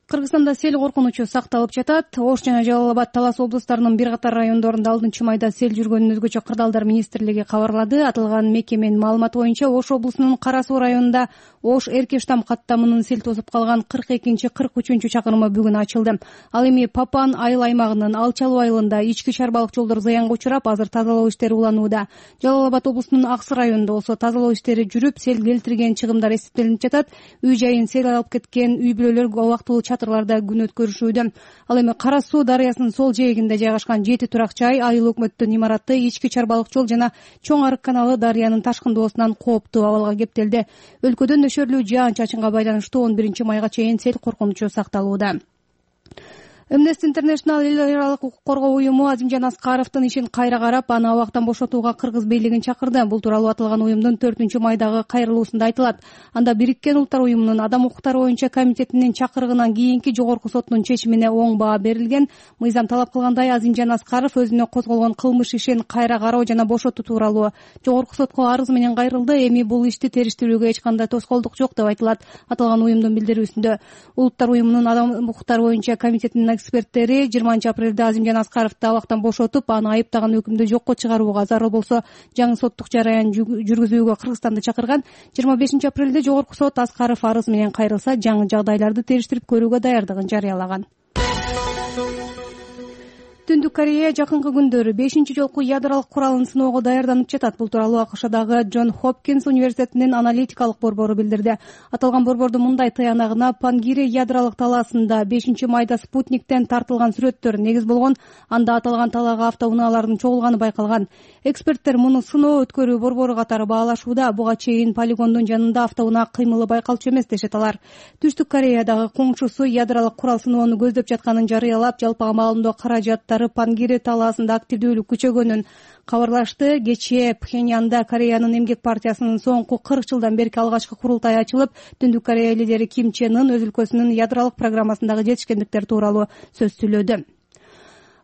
Speaker 3: Кыргызстанда сел коркунучу сакталып жатат. Ош жана Жалал Абад, Талас облустарынын бир катар райондорунда 6 майда сел жүргөнүн өзгөчө кырдаалдар министрлиги кабарлады. Аталган мекеменин маалыматы боюнча Ош облусунун Кара Суу районунда Ош Эркештам каттамынын сел тосуп калган 42-43 чакырымы бүгүн ачылды. Ал эми Папан айыл аймагынын Алчалуу айылында ички чарбалык жолдор заянга учурап, азыр тазалоо иштери уланууда. Жалал Абад облусунун Аксы районунда болсо тазалоо иштери жүрүп, сел келтирген чыгымдар эсептелинип жатат. Үй жайын сел алып кеткен үй бүлөлөр убактылуу чатырларда күн өткөрүшүүдө. Ал эми Кара Суу дарыясынын сол жээгинде жайгашкан 7 турак жай, айыл өкмөттүн имараты, ички чарбалык жол жана Чоң Арык каналы дарыянын ташкындоосунан кооптуу абалга кептелди. Өлкөдө нөшөрлүү жаан-чачынга байланыштуу 11 майга чейин сел коркунучу сакталууда. Amnesty International эл аралык укук коргоо уюму Азимжан Аскаровдун ишин кайра карап, аны абактан бошотууга кыргыз бийлигин чакырды. Бул тууралуу аталган уюмдун 4 майдагы кайрылуусунда айтылат. Анда Бириккен Улуттар уюмунун адам укуктары боюнча комитетинин чакырыгынан кийинки жогорку соттун чечимине оң баа берилген. Мыйзам талап кылгандай Азимжан Аскаров өзүнө козголгон кылмыш ишин кайра кароо жана бошотуу тууралуу жогорку сотко арыз менен кайрылды. Эми бул ишти териштирүүгө эч кандай тоскоолдук жок деп айтылат аталган уюмдун билдирүүсүндө. Улуттар уюмунун адам укуктары боюнча комитетинин эксперттери 20 апрелде Азимжан Аскаровду абактан бошотуп, аны айыптаган өкүмдү жокко чыгарууга зарыл болсо жаңы соттук жараян жүргүзүүгө Кыргызстанды чакырган. 25 апрелде жогорку сот Аскаров арыз менен кайрылса, жаңы жагдайларды териштирип көрүүгө даярдыгын жарыялаган. Түндүк Корея жакынкы күндөрү 5-жолку ядролук куралын сыноого даярданып жатат. Бул тууралуу АКШдагы Джон Хопкинс университетинин аналитикалык борбору билдирди. Аталган борбордун мындай тыянагына Пангири ядролук талаасында 5 майда спутниктен тартылган сүрөттөр негиз болгон. Анда аталган талаага автоунаалардын чогулганы байкалган. Эксперттер муну сыноо өткөрүү борбору катары баалашууда. Буга чейин полигондун жанында автоунаа кыймылы байкалчу эмес дешет алар. Түштүк Кореядагы коңшусу ядролук курал сыноону көздөп жатканын жарыялап, жалпыга маалымдоо каражаттары Пангири талаасында активдүүлүк күчөгөнүн кабарлашты. Кечээ Пхеньянда Кореянын эмгек партиясынын соңку 40 жылдан берки алгачкы курултай ачылып, Түндүк Корея лидери Ким Чен Ын өз өлкөсүнүн ядролук программасындагы жетишкендиктер тууралуу сөз сүйлөдү.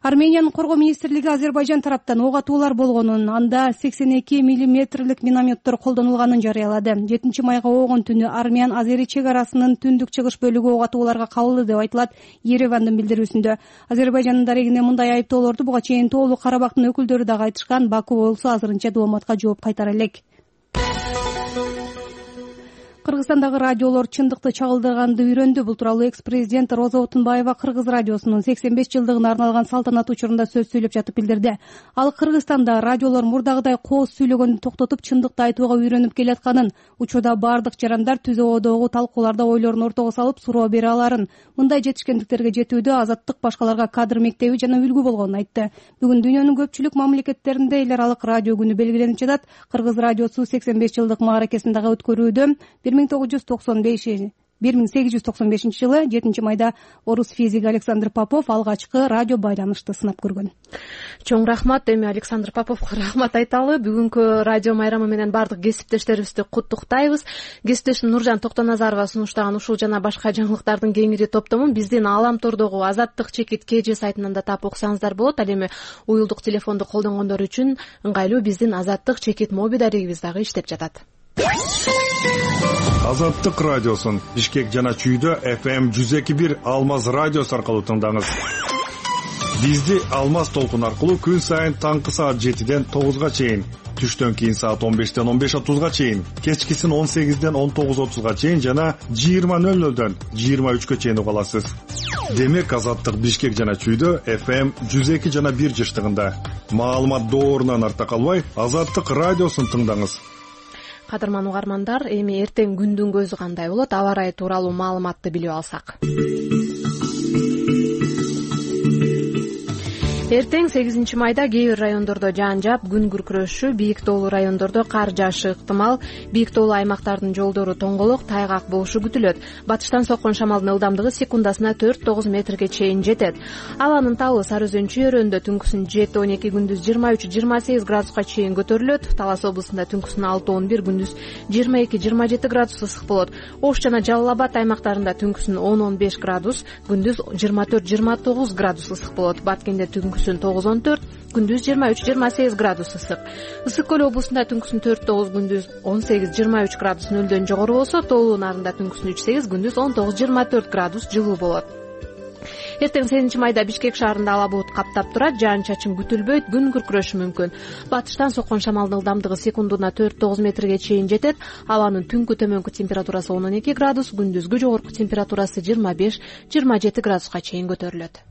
Speaker 3: Армениянын коргоо министрлиги Азербайжан тараптан ок атуулар болгонун, анда 82 мм минометтор колдонулганын жарыялады. 7 майга оогун түнү Армян-Азери чек арасынын түндүк чыгыш бөлүгү ок атууларга кабылды деп айтылат Еревандын билдирүүсүндө. Азербайжандын дарегине мындай айыптоолорду буга чейин Тоолуу Карабактын өкүлдөрү дагы айтышкан. Баку болсо азырынча дооматка жооп кайтара элек. Кыргызстандагы радиолор чындыкты чагылдырганды үйрөндү. Бул тууралуу экс-президент Роза Отунбаева Кыргыз радиосунун 85 жылдыгына арналган салтанат учурунда сөз сүйлөп жатып билдирди. Ал Кыргызстанда радиолор мурдагыдай кооз сүйлөгөндү токтотуп, чындыкты айтууга үйрөнүп келатканын, учурда бардык жарандар түз абадагы талкууларда ойлорун ортого салып суроо бере аларын, мындай жетишкендиктерге жетүүдө Азаттык башкаларга кадр мектеби жана үлгү болгонун айтты. Бүгүн дүйнөнүн көпчүлүк мамлекеттеринде эл аралык радио күнү белгиленип жатат. Кыргыз радиосу 85 жылдык мааракесин дагы өткөрүүдө. 1895-жылы 7-майда орус физиги Александр Попов алгачкы радио байланышты сынап көргөн.
Speaker 1: Чоң рахмат. Эми Александр Поповго рахмат айталы. Бүгүнкү радио майрамы менен бардык кесиптештерибизди куттуктайбыз. Кесиптешим Нуржан Токтоназарова сунуштаган ушул жана башка жаңылыктардын кеңири топтомун биздин Ааламтордогу Азаттык чекит КЖ сайтынан да таап окусаңыздар болот. Ал эми уюлдук телефонду колдонгондор үчүн ыңгайлуу биздин Азаттык чекит моби дарегибиз дагы иштеп жатат.
Speaker 15: Азаттык радиосун Бишкек жана Чүйдө FM 102.1 Алмаз радиосу аркылуу тыңдаңыз. Бизди Алмаз толкун аркылуу күн сайын таңкы саат 7ден 9га чейин, түштөн кийин саат 15ден 15:30га чейин, кечкисин 18ден 19:30га чейин жана 20:00дөн 23ге чейин уга аласыз. Демек Азаттык Бишкек жана Чүйдө FM 102 жана 1 жыштыгында. Маалымат доорунан арта калбай Азаттык радиосун тыңдаңыз.
Speaker 1: Кадырман угармандар, эми эртең күндүн көзү кандай болот? Аба ырайы тууралуу маалыматты билип алсак. Эртең 8-майда кээ бир райондордо жаан жаап, күн күркүрөшү, бийик тоолуу райондордо кар жаашы ыктымал, бийик тоолуу аймактардын жолдору тоңголок, тайгак болушу күтүлөт. Батыштан соккон шамалдын ылдамдыгы секундасына 4-9 метрге чейин жетет. Абанын табы Сары Өзөн чөйрөндө түнкүсүн 7-12, күндүз 23-28 градуска чейин көтөрүлөт. Талас облусунда түнкүсүн 6-11, күндүз 22-27 градус ысык болот. Ош жана Жалал Абад аймактарында түнкүсүн 10-15 градус, күндүз 24-29 градус ысык болот. Баткенде түнкүсүн 9-14, күндүз 23-28 градус ысык. Ысык көл облусунда түнкүсүн 4-9, күндүз 18-23 градус нөлдөн жогору болсо, тоолуу нарында түнкүсүн 3-8, күндүз 19-24 градус жылуу болот. Эртең 8-майда Бишкек шаарында ала булут каптап турат, жаан-чачын күтүлбөйт, күн күркүрөшү мүмкүн. Батыштан соккон шамалдын ылдамдыгы секундуна 4-9 метрге чейин жетет. Абанын түнкү төмөнкү температурасы 12 градус, күндүзгү жогорку температурасы 25-27 градуска чейин көтөрүлөт.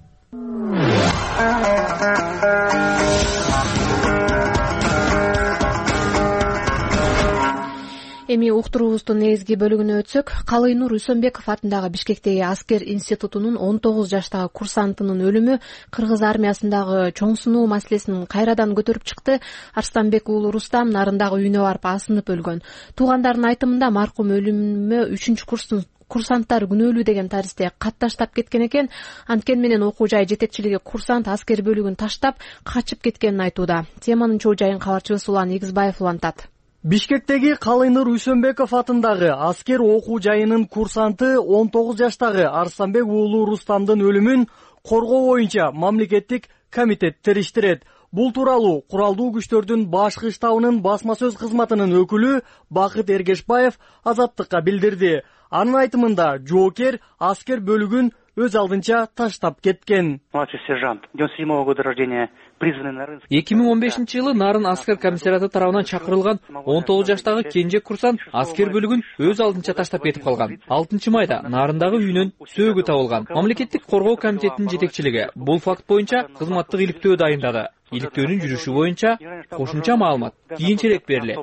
Speaker 1: Эми уктуруубуздун негизги бөлүгүнө өтсөк, Калыйнур Үсөнбеков атындагы Бишкектеги аскер институтунун 19 жаштагы курсантынын өлүмү кыргыз армиясындагы чоң сыноо маселесин кайрадан көтөрүп чыкты. Арстанбек уулу Рустам нарындагы үйүнө барып асынып өлгөн. Туугандардын айтымында маркум өлүмү 3-курстун курсанттар күнөөлүү деген таристе кат таштап кеткен экен. Анткени менен окуу жай жетекчилиги курсант аскер бөлүгүн таштап качып кеткенин айтууда. Теманын чоо жайын кабарчыбыз Улан Игизбаев улантат.
Speaker 19: Бишкектеги Калыйнур Үсөнбеков атындагы аскер окуу жайынын курсанты 19 жаштагы Арстанбек уулу Рустамдын өлүмүн коргоо боюнча мамлекеттик комитет териштирет. Бул тууралуу куралдуу күчтөрдүн башкы штабынын басма сөз кызматынын өкүлү Бакыт Эргешбаев Азаттыкка билдирди. Анын айтымында жоокер аскер бөлүгүн өз алдынча таштап кеткен.
Speaker 20: Младший сержант 97-го года рождения, призванный на Нарынск.
Speaker 21: 2015-жылы Нарын аскер комиссариаты тарабынан чакырылган 19 жаштагы кенже курсант аскер бөлүгүн өз алдынча таштап кетип калган. 6-майда Нарындагы үйүнөн сөөгү табылган. Мамлекеттик коргоо комитетинин жетекчилиги бул факт боюнча кызматтык иликтөө дайындады. Иликтөөнүн жүрүшү боюнча кошумча маалымат кийинчерээк берилет.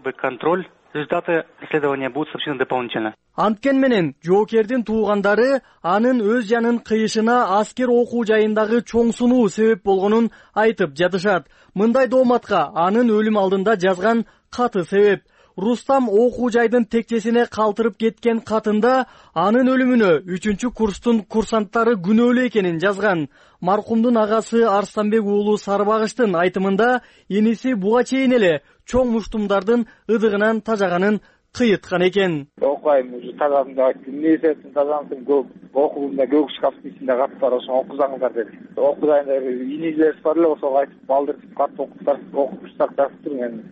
Speaker 20: Результаты расследования будут сообщены дополнительно.
Speaker 19: Анткен менен жоокердин туугандары анын өз жанын кыйышына аскер окуу жайындагы чоң сунуу себеп болгонун айтып жатышат. Мындай дооматка анын өлүм алдында жазган каты себеп. Рустам окуу жайдын текчесине калтырып кеткен катында анын өлүмүнө 3-курстун курсанттары күнөөлүү экенин жазган. Маркумдун агасы Арстанбек уулу Сарыбагыштын айтымында иниси буга чейин эле чоң муштумдардын ыдыгынан тажаганын кыйыткан экен.
Speaker 18: Окуйм, уже тазамды айттым, эмне себептен тазамдым, окуумда көгүк шкафтын ичинде кат бар, ошону окузаңыздар деди. Окуйда инилерибиз бар эле, ошого айтып балдыртып катты окуптурсак жатыптыр. Мен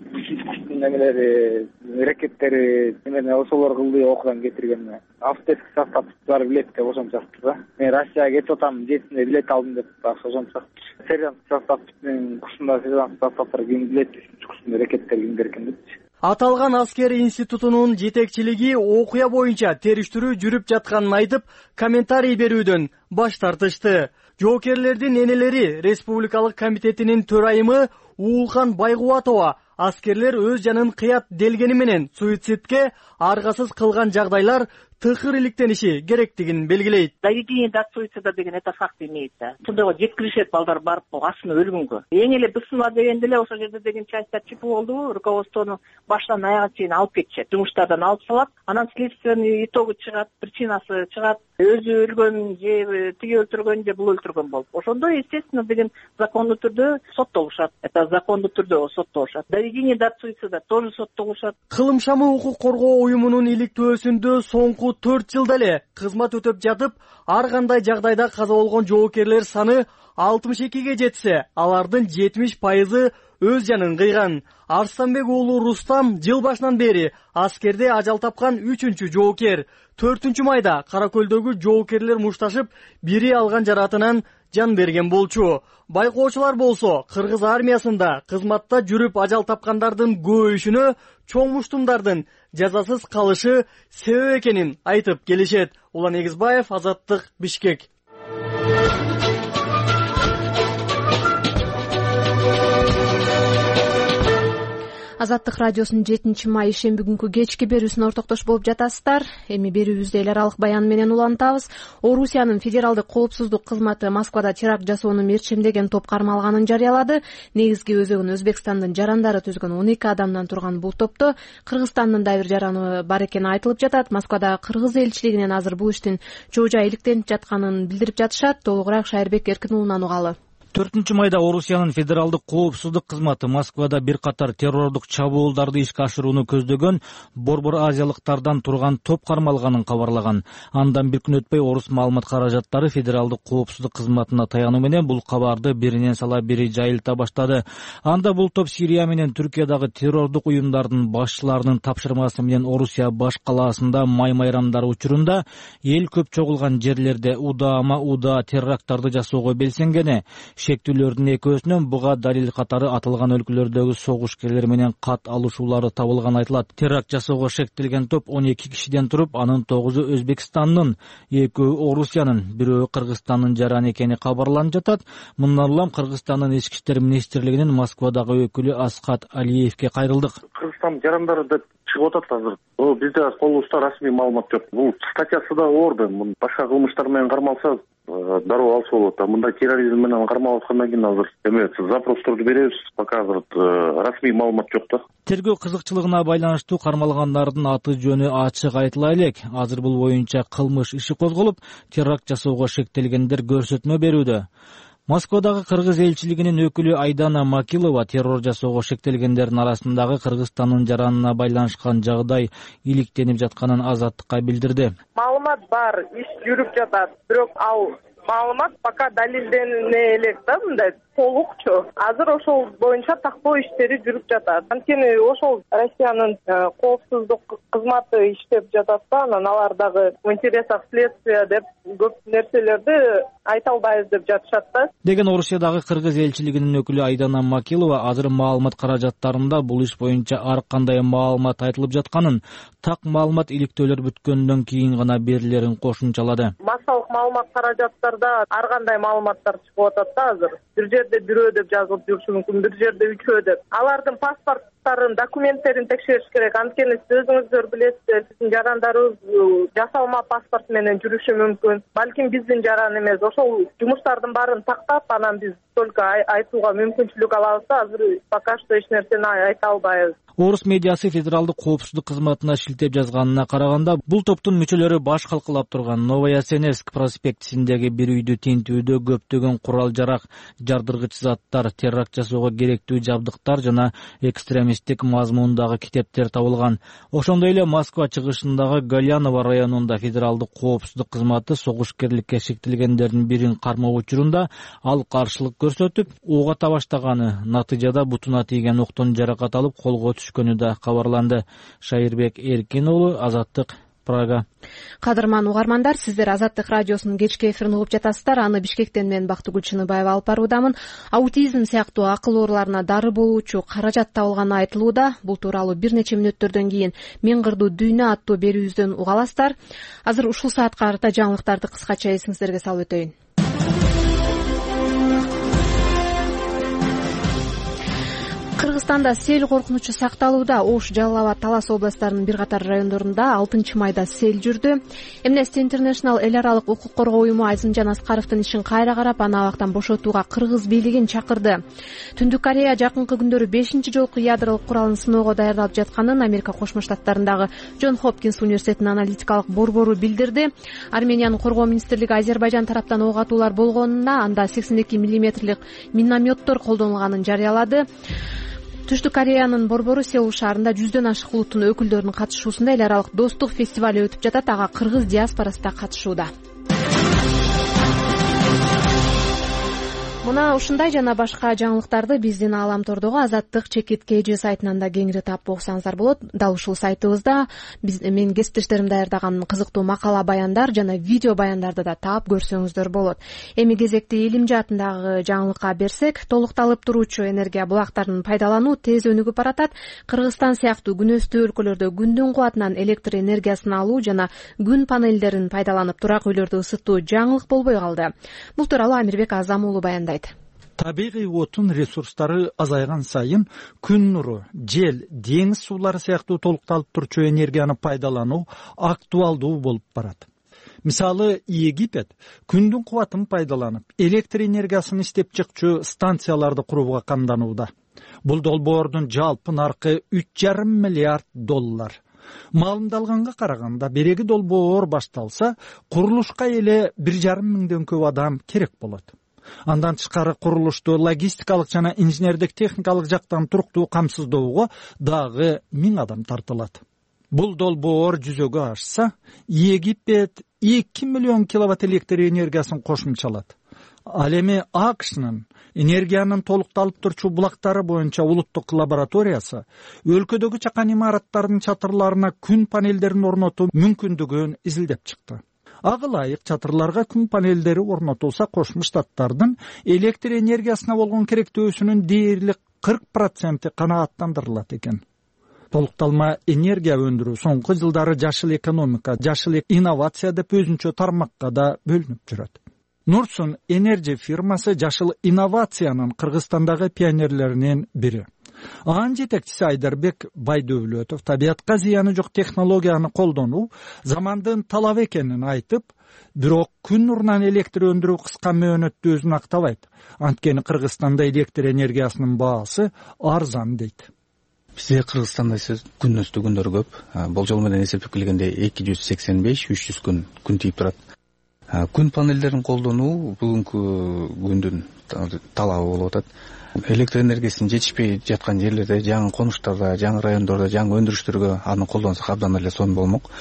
Speaker 18: немелери, ракеттери, эмне ошолор кылды, окудан кетирген. Автотеск составдары билет деп ошончаптыр да. Мен Россияга кетип атам, жетинде билет алдым деп ошончаптыр. Сержант составдын курсунда сержант составдары ким билет, 3-курстун ракеттери кимдер экен депчи.
Speaker 19: Аталган аскер институтунун жетекчилиги окуя боюнча териштирүү жүрүп жатканын айтып, комментарий берүүдөн баш тартышты. Жоокерлердин энелери Республикалык комитетинин төрайымы Уулхан Байгубатова аскерлер өз жанын кыят делгени менен суицидке аргасыз кылган жагдайлар тыгыр иликтениши керектигин белгилейт.
Speaker 4: Доведение до суицида деген это факт имеется. Тундайга жеткиришет балдар барып асына өлгөнгө. Эң эле бысынма дегенде эле ошол жерде деген частьтар чип болду, руководствону баштан аягына чейин алып кетишет. Жумуштардан алып салат, анан следственный итогу чыгат, причинасы чыгат. Өзү өлгөн же тиги өлтүргөн же бул өлтүргөн болуп. Ошондо естественно деген закондуу түрдө соттолушат. Это закондуу түрдө соттолушат. Доведение до суицида тоже соттолушат.
Speaker 19: Кылым шамы укук коргоо уюмунун иликтөөсүндө соңку 4 жылда эле кызмат өтөп жатып, ар кандай жагдайда каза болгон жоокерлер саны 62ге жетсе, алардын 70% өз жанын кыйган. Арстанбек уулу Рустам жыл башынан бери аскерде ажал тапкан 3-чү жоокер. 4-майда Кара Көлдөгү жоокерлер мушташып, бири алган жаратынан жан берген болчу. Байкоочулар болсо кыргыз армиясында кызматта жүрүп ажал тапкандардын көбөйүшүнө чоң муштумдардын жазасыз калышы себеп экенин айтып келишет. Улан Эгизбаев, Азаттык, Бишкек.
Speaker 1: Азаттык радиосунун 7-май ишемби күнкү кечки берүүсүнө ортоктош болуп жатасыздар. Эми берүүбүздө эл аралык баян менен улантабыз. Орусиянын федералдык коопсуздук кызматы Москвада теракт жасоону мерчемдеген топ кармалганын жарыялады. Негизги өзөгүн Өзбекстандын жарандары түзгөн 12 адамдан турган бул топто Кыргызстандын да бир жараны бар экени айтылып жатат. Москвада кыргыз элчилигинен азыр бул иштин жоо жай иликтенип жатканын билдирип жатышат. Толугураак Шайырбек Эркин уулунан угалы.
Speaker 12: 4-майда Орусиянын федералдык коопсуздук кызматы Москвада бир катар террордук чабуулдарды ишке ашырууну көздөгөн борбор азиялыктардан турган топ кармалганын кабарлаган. Андан бир күн өтпөй орус маалымат каражаттары федералдык коопсуздук кызматына таянуу менен бул кабарды биринен сала бири жайылта баштады. Анда бул топ Сирия менен Түркиядагы террордук уюмдардын башчыларынын тапшырмасы менен Орусия баш калаасында май майрамдары учурунда эл көп чогулган жерлерде удаа терракттарды жасоого белсенгени. Шектүүлөрдүн экөөсүнөн буга далил катары аталган өлкөлөрдөгү согушкерлер менен кат алышуулары табылган айтылат. Теракт жасоого шектелген топ 12 кишиден туруп, анын 9-у Өзбекстандын, 2-өө Орусиянын, 1-өө Кыргызстандын жараны экени кабарланып жатат. Мындан улам Кыргызстандын ички иштер министрлигинин Москвадагы өкүлү Асхат Алиевке кайрылдык.
Speaker 22: Кыргызстандын жарандары деп чыгып атат азыр. Бизде колубузда расмий маалымат жок. Бул статьясы да оор да. Башка кылмыштар менен кармалса дароо алса болот. Мындай терроризм менен кармалып аткандан кийин азыр запросторду беребиз. Пока азыр расмий маалымат жок да.
Speaker 12: Тергөө кызыкчылыгына байланыштуу кармалгандардын аты жөнү ачык айтыла элек. Азыр бул боюнча кылмыш иши козголуп, теракт жасоого шектелгендер көрсөтмө берүүдө. Москвадагы кыргыз элчилигинин өкүлү Айдана Макилова террор жасоого шектелгендердин арасындагы Кыргызстандын жаранына байланышкан жагдай иликтенип жатканын Азаттыкка билдирди.
Speaker 23: Маалымат бар, иш жүрүп жатат, бирок ал маалымат пока далилдене элек да, мындай толукчу. Азыр ошол боюнча тактоо иштери жүрүп жатат. Анткени ошол Россиянын коопсуздук кызматы иштеп жатат да, анан алар дагы в интересах следствия деп көп нерселерди айта албайбыз деп жатышат да.
Speaker 12: Деген Орусиядагы кыргыз элчилигинин өкүлү Айдана Макилова азыр маалымат каражаттарында бул иш боюнча ар кандай маалымат айтылып жатканын, так маалымат иликтөөлөр бүткөндөн кийин гана берилерин кошумчалады.
Speaker 23: Массалык маалымат каражаттарда ар кандай маалыматтар чыгып атат да азыр. Бир жерде 1 деп жазылып жүрүшү мүмкүн, бир жерде 3 деп. Алардын паспорттарын, документтерин текшериш керек. Анткени сиз өзүңүздөр билесиздер, биздин жарандарыбыз жасалма паспорт менен жүрүшү мүмкүн. Балким биздин жаран эмес. Ошол жумуштардын баарын тактап, анан биз только айтууга мүмкүнчүлүк алабыз да, азыр пока что эч нерсени айта албайбыз.
Speaker 12: Орус медиасы федералдык коопсуздук кызматына шилтеп жазганына караганда, бул топтун мүчөлөрү баш калкалап турган Новая Сенерск проспектисиндеги бир үйдү тинтүүдө көптөгөн курал-жарак, жардыргыч заттар, теракт жасоого керектүү жабдыктар жана экстремисттик мазмундагы китептер табылган. Ошондой эле Москва чыгышындагы Галяново районунда федералдык коопсуздук кызматы согушкерликке шектелгендердин бирин кармоо учурунда ал каршылык көрсөтүп, ок ата баштаганы, натыйжада бутуна тийген октон жаракат алып колго түшкөнү да кабарланды. Шайырбек Эркин уулу, Азаттык, Прага.
Speaker 1: Кадырман угармандар, сиздер Азаттык радиосунун кечки эфирин угуп жатасыздар. Аны Бишкектен мен Бактыгүл Чыныбаева алып баруудамын. Аутизм сыяктуу акыл ооруларына дары болуучу каражат табылганы айтылууда. Бул тууралуу бир нече мүнөттөрдөн кийин Мен кырдуу дүйнө аттуу берүүбүздөн уга аласыздар. Азыр ушул саатка карата жаңылыктарды кыскача эсиңиздерге салып өтөйүн. Кыргызстанда сел коркунучу сакталууда. Ош, Жалал Абад, Талас областарынын бир катар райондорунда 6 майда сел жүрдү. Amnesty International эл аралык укук коргоо уюму Айзымжан Аскаровдун ишин кайра карап, аны абактан бошотууга кыргыз бийлигин чакырды. Түндүк Корея жакынкы күндөрү 5-чи жолку ядролук куралын сыноого даярдалып жатканын Америка Кошмо Штаттарындагы Джон Хопкинс университетинин аналитикалык борбору билдирди. Армениянын коргоо министрлиги Азербайжан тараптан ок атуулар болгонуна, анда 82 мм минометтор колдонулганын жарыялады. Түштүк Кореянын борбору Сеул шаарында 100дөн ашык улуттун өкүлдөрүнүн катышуусунда эл аралык достук фестивали өтүп жатат. Ага кыргыз диаспорасы да катышууда. Мына ушундай жана башка жаңылыктарды биздин Ааламтордогу Азаттык чекит KG сайтынан да кеңири таап окусаңыздар болот. Дал ушул сайтыбызда мен кесиптештерим даярдаган кызыктуу макала баяндар жана видео баяндарды да таап көрсөңүздөр болот. Эми кезекти илим жаатындагы жаңылыкка берсек, толукталып туруучу энергия булактарын пайдалануу тез өнүгүп баратат. Кыргызстан сыяктуу күн өстүү өлкөлөрдө күндүн кубатынан электр энергиясын алуу жана күн панелдерин пайдаланып турак үйлөрдү ысытуу жаңылык болбой калды. Бул тууралуу Амирбек Азам уулу баяндайт.
Speaker 5: Табигый отун ресурстары азайган сайын күн нуру, жел, деңиз суулары сыяктуу толукталып турчу энергияны пайдалануу актуалдуу болуп барат. Мисалы, Египет күндүн кубатын пайдаланып, электр энергиясын иштеп чыкчу станцияларды курууга камданууда. Бул долбоордун жалпы наркы $3,5 миллиард. Маалымдалганга караганда, береги долбоор башталса, курулушка эле 1,5 миңден көп адам керек болот. Андан тышкары курулушту логистикалык жана инженердик техникалык жактан туруктуу камсыздоого дагы 1000 адам тартылат. Бул долбоор жүзөгө ашса, Египет 2 миллион киловатт электр энергиясын кошумчалат. Ал эми АКШнын энергиянын толукталып турчу булактары боюнча улуттук лабораториясы өлкөдөгү чакан имараттардын чатырларына күн панелдерин орнотуу мүмкүндүгүн изилдеп чыкты. Ага ылайык чатырларга күн панелдери орнотулса, Кошмо Штаттардын электр энергиясына болгон керектөөсүнүн дээрлик 40% канааттандырылат экен. Толукталма энергия өндүрүү соңку жылдары жашыл экономика, жашыл инновация деп өзүнчө тармакка да бөлүнүп жүрөт. Нурсун Energy фирмасы жашыл инновациянын Кыргызстандагы пионерлеринин бири. Анын жетекчиси Айдарбек Байдөвлөтов табиятка зыяны жок технологияны колдонуу замандын талабы экенин айтып, бирок күн нурунан электр өндүрүү кыска мөөнөттө өзүн актабайт. Анткени Кыргызстанда электр энергиясынын баасы арзан дейт.
Speaker 6: Бизде Кыргызстанда күн өстүү күндөр көп. Болжол менен эсептеп келгенде 285-300 күн тийип турат. Күн панелдерин колдонуу бүгүнкү күндүн талабы болуп атат. Электр энергиясын жетишпей жаткан жерлерде, жаңы конуштарда, жаңы райондордо, жаңы өндүрүштөргө аны колдонсок абдан эле сонун болмок.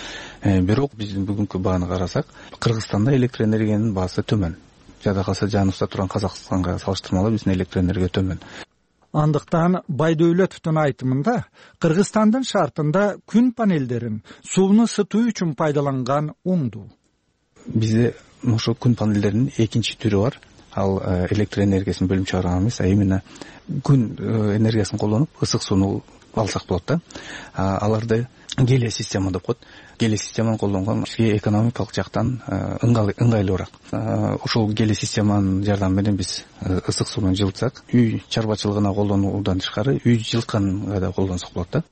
Speaker 6: Бирок биздин бүгүнкү бааны карасак, Кыргызстанда электр энергиянын баасы төмөн. Жада калса жаныбызда турган Казакстанга салыштырмалуу биздин электр энергия төмөн.
Speaker 5: Андыктан Байдөвлөтовдун айтымында Кыргызстандын шартында күн панелдерин сууну ысытуу үчүн пайдаланган оңдуу.
Speaker 6: Бизде ошо күн панелдеринин экинчи түрү бар. Ал электр энергиясын бөлүп чыгарган эмес, а именно күн энергиясын колдонуп ысык сууну алсак болот да. Аларды гелия система деп коет. Гелия системаны колдонгон бизге экономикалык жактан ыңгайлуураак. Ошол гелия системанын жардамы менен биз ысык сууну жылытсак, үй чарбачылыгына колдонуудан тышкары үй жылытканга да колдонсок болот да.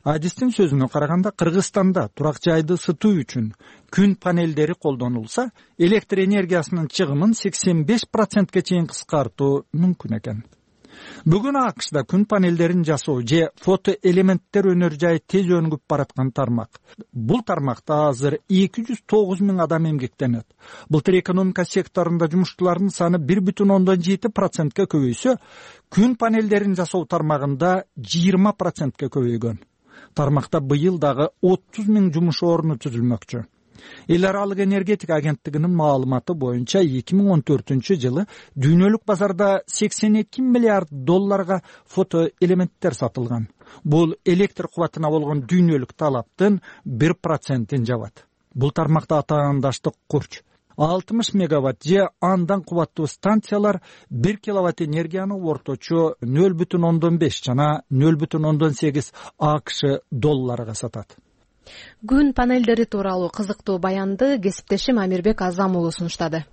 Speaker 5: Адистин сөзүнө караганда, Кыргызстанда турак жайды ысытуу үчүн күн панелдери колдонулса, электр энергиясынын чыгымын 85%ке чейин кыскартуу мүмкүн экен. Бүгүн АКШда күн панелдерин жасоо же фотоэлементтер өнөр жайы тез өнүгүп бараткан тармак. Бул тармакта азыр 209 000 адам эмгектенет. Былтыр экономика секторунда жумушчулардын саны 1,7%ке көбөйсө, күн панелдерин жасоо тармагында 20%ке көбөйгөн. Тармакта быйыл дагы 30 000 жумуш орну түзүлмөкчү. Эл аралык энергетика агенттигинин маалыматы боюнча 2014 жылы дүйнөлүк базарда $82 миллиард фотоэлементтер сатылган. Бул электр кубатына болгон дүйнөлүк талаптын 1%-ин жабат. Бул тармакта атаандаштык курч 60 мегаватт же андан кубаттуу станциялар 1 киловатт энергияны орточо 0,5 жана 0,8 АКШ долларга сатат.
Speaker 1: Күн панелдери тууралуу кызыктуу баянды кесиптешим Амирбек Азам уулу сунуштады.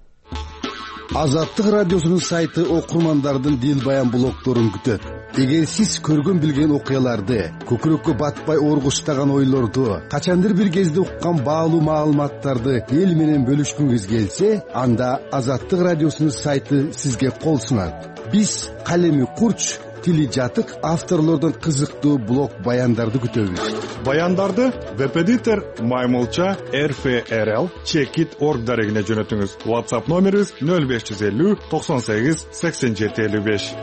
Speaker 17: Азаттык радиосунун сайты окурмандардын дил баян блогдорун күтөт. эгер сиз көргөн билген окуяларды, көкүрөккө батпай ооргуштаган ойлорду, качандыр бир кезде уккан баалуу маалыматтарды эл менен бөлүшкүңүз келсе, анда Азаттык радиосунун сайты сизге кол сунат. Биз калеми курч, тили жатык авторлордон кызыктуу блог баяндарды күтөбүз.
Speaker 15: Баяндарды веб-эдитор Маймылча RFRL Checkit.org дарегине жөнөтүңүз. WhatsApp номерибиз 0550 98 87 55.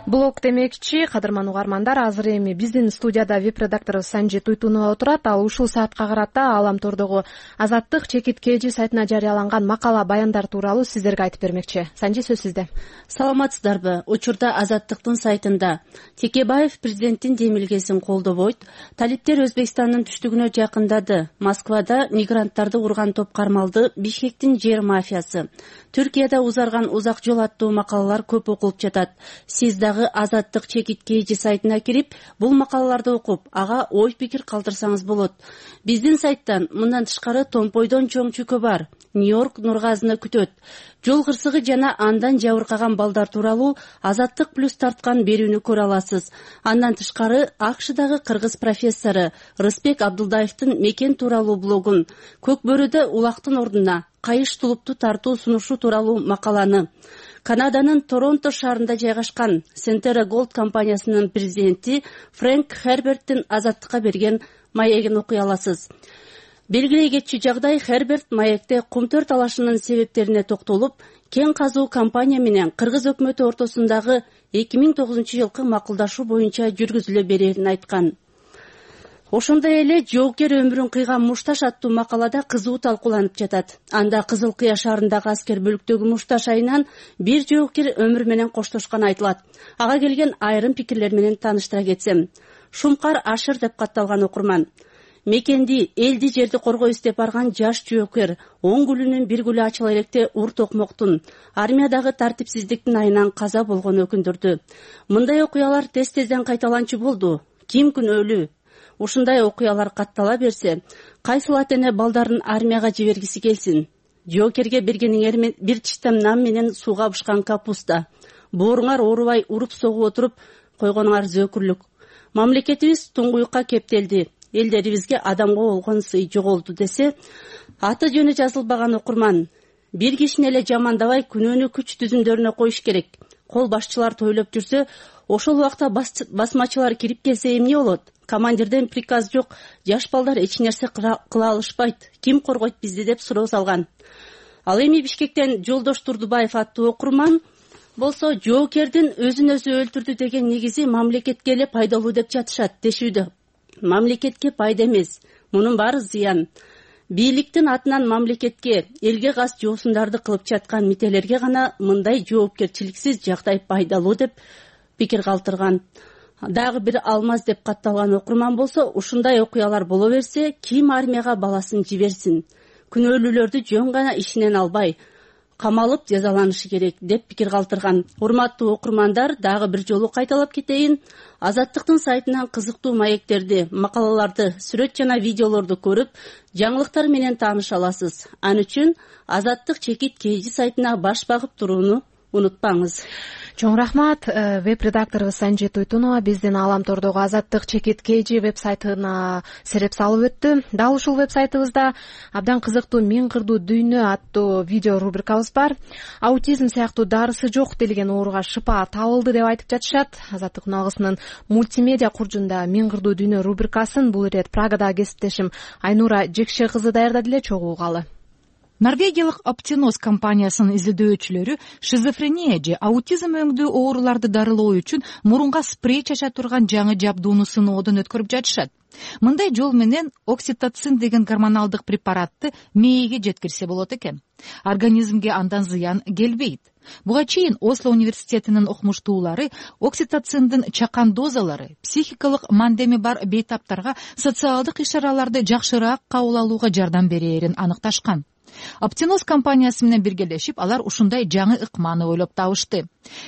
Speaker 1: Блог демекчи, кадырман угармандар, азыр эми биздин студияда веб-редакторубуз Санжи Туйтунова отурат. Ал ушул саатка карата Ааламтордогу Азаттык Чекит KG сайтына жарыяланган макала баяндар тууралуу сиздерге айтып бермекчи. Санжи, сөз сизде.
Speaker 9: Саламатсыздарбы? Учурда Азаттыктын сайтында Текебаев президенттин демилгесин колдобойт, талиптер Өзбекстандын түштүгүнө жакындады, Москвада мигранттарды урган топ кармалды, Бишкектин жер мафиясы, Түркияда узарган узак жол аттуу макалалар көп окулуп жатат. Сиз дагы Азаттык Чекит KG сайтына кирип, бул макалаларды окуп, ага ой пикир калтырсаңыз болот. Биздин сайттан мындан тышкары Томпойдон чоң чүкө бар, Нью-Йорк Нургазыны күтөт. Жол кырсыгы жана андан жабыркаган балдар тууралуу Азаттык плюс тарткан берүүнү көрө аласыз. Андан тышкары АКШдагы кыргыз профессору Рыспек Абдулдаевдин мекен тууралуу блогун, Көк бөрүдө улактын ордуна кайыш тулупту тартуу сунушу тууралуу макаланы, Канаданын Торонто шаарында жайгашкан Centera Gold компаниясынын президенти Фрэнк Херберттин Азаттыкка берген маегин окуй аласыз. Белгилей кетчү жагдай, Херберт маекте кумтөр талашынын себептерине токтолуп, кен казуу компания менен кыргыз өкмөтү ортосундагы 2009-жылкы макулдашуу боюнча жүргүзүлө берерин айткан. Ошондой эле жоокер өмүрүн кыйган Мушташ аттуу макалада кызуу талкууланып жатат. Анда Кызыл Кыя шаарындагы аскер бөлүктөгү Мушташ айынан бир жоокер өмүр менен коштошканы айтылат. Ага келген айрым пикирлер менен тааныштыра кетсем. Шумкар Ашыр деп катталган окурман. Мекенди, элди, жерди коргой издеп барган жаш жоокер 10 гүлүнүн бир гүлү ачыла электе Ур Токмоктун армиядагы тартипсиздиктин айынан каза болгону өкүндүрдү. Мындай окуялар тез-тезден кайталанчу болду. Ким күнөөлүү? Ушундай окуялар каттала берсе, кайсыл ата-эне балдарын армияга жибергиси келсин? Жоокерге бергениңер бир чиштем нан менен сууга бышкан капуста. Бооруңар оорубай уруп согуп отуруп койгонуңар зөөкүрлүк. Мамлекетибиз туңгуюкка кептелди. Элдерибизге адамга болгон сый жоголду десе, аты жөнү жазылбаган окурман. Бир кишини эле жамандабай күнөөнү күч түзүмдөрүнө коюш керек. Кол башчылар тойлоп жүрсө, ошол убакта басмачылар кирип келсе эмне болот? Командирден приказ жок, жаш балдар эч нерсе кыла алышпайт. Ким коргойт бизди деп суроо салган. Ал эми Бишкектен Жолдош Турдубаев аттуу окурман болсо, жоокердин өзүн өзү өлтүрдү деген негизи мамлекетке эле пайдалуу деп жатышат, дешүүдө. Мамлекетке пайда эмес, мунун баары зыян. Бийликтин атынан мамлекетке, элге кас жоосундарды кылып жаткан мителерге гана мындай жоопкерчиликсиз жагдай пайдалуу деп пикир калтырган. Дагы бир Алмаз деп катталган окурман болсо, ушундай окуялар боло берсе, ким армияга баласын жиберсин? Күнөөлүүлөрдү жөн гана ишинен албай, камалып жазаланышы керек деп пикир калтырган. Урматтуу окурмандар, дагы бир жолу кайталап кетейин. Азаттыктын сайтынан кызыктуу маектерди, макалаларды, сүрөт жана видеолорду көрүп, жаңылыктар менен тааныша аласыз. Ал үчүн Азаттык Чекит KG сайтына баш багып турууну унутпаңыз.
Speaker 1: Чоң рахмат. Веб-редакторубуз Санжи Туйтунова биздин Ааламтордогу Азаттык Чекит KG веб-сайтына сереп салып өттү. Дал ушул веб-сайтыбызда абдан кызыктуу Миң кырдуу дүйнө аттуу видео рубрикабыз бар. Аутизм сыяктуу дарысы жок делген ооруга шыпа табылды деп айтып жатышат. Азаттык үналгысынын мультимедиа куржунда Миң кырдуу дүйнө рубрикасын бул ирет Прагадагы кесиптешим Айнура Жекше кызы даярдады эле, чогуу угалы.
Speaker 10: Норвегиялык Optinos компаниясынын изилдөөчүлөрү шизофрения же аутизм өңдүү ооруларды дарылоо үчүн мурунга спрей чача турган жаңы жабдууну сыноодон өткөрүп жатышат. Мындай жол менен окситоцин деген гормоналдык препаратты мээге жеткирсе болот экен. Организмге андан зыян келбейт. Буга чейин Осло университетинин окумуштуулары окситоциндин чакан дозалары психикалык мандеми бар бейтаптарга социалдык иш-чараларды жакшыраак кабыл алууга жардам берээрин аныкташкан. Optinos компаниясы менен биргелешип, алар ушундай жаңы ыкманы ойлоп табышты.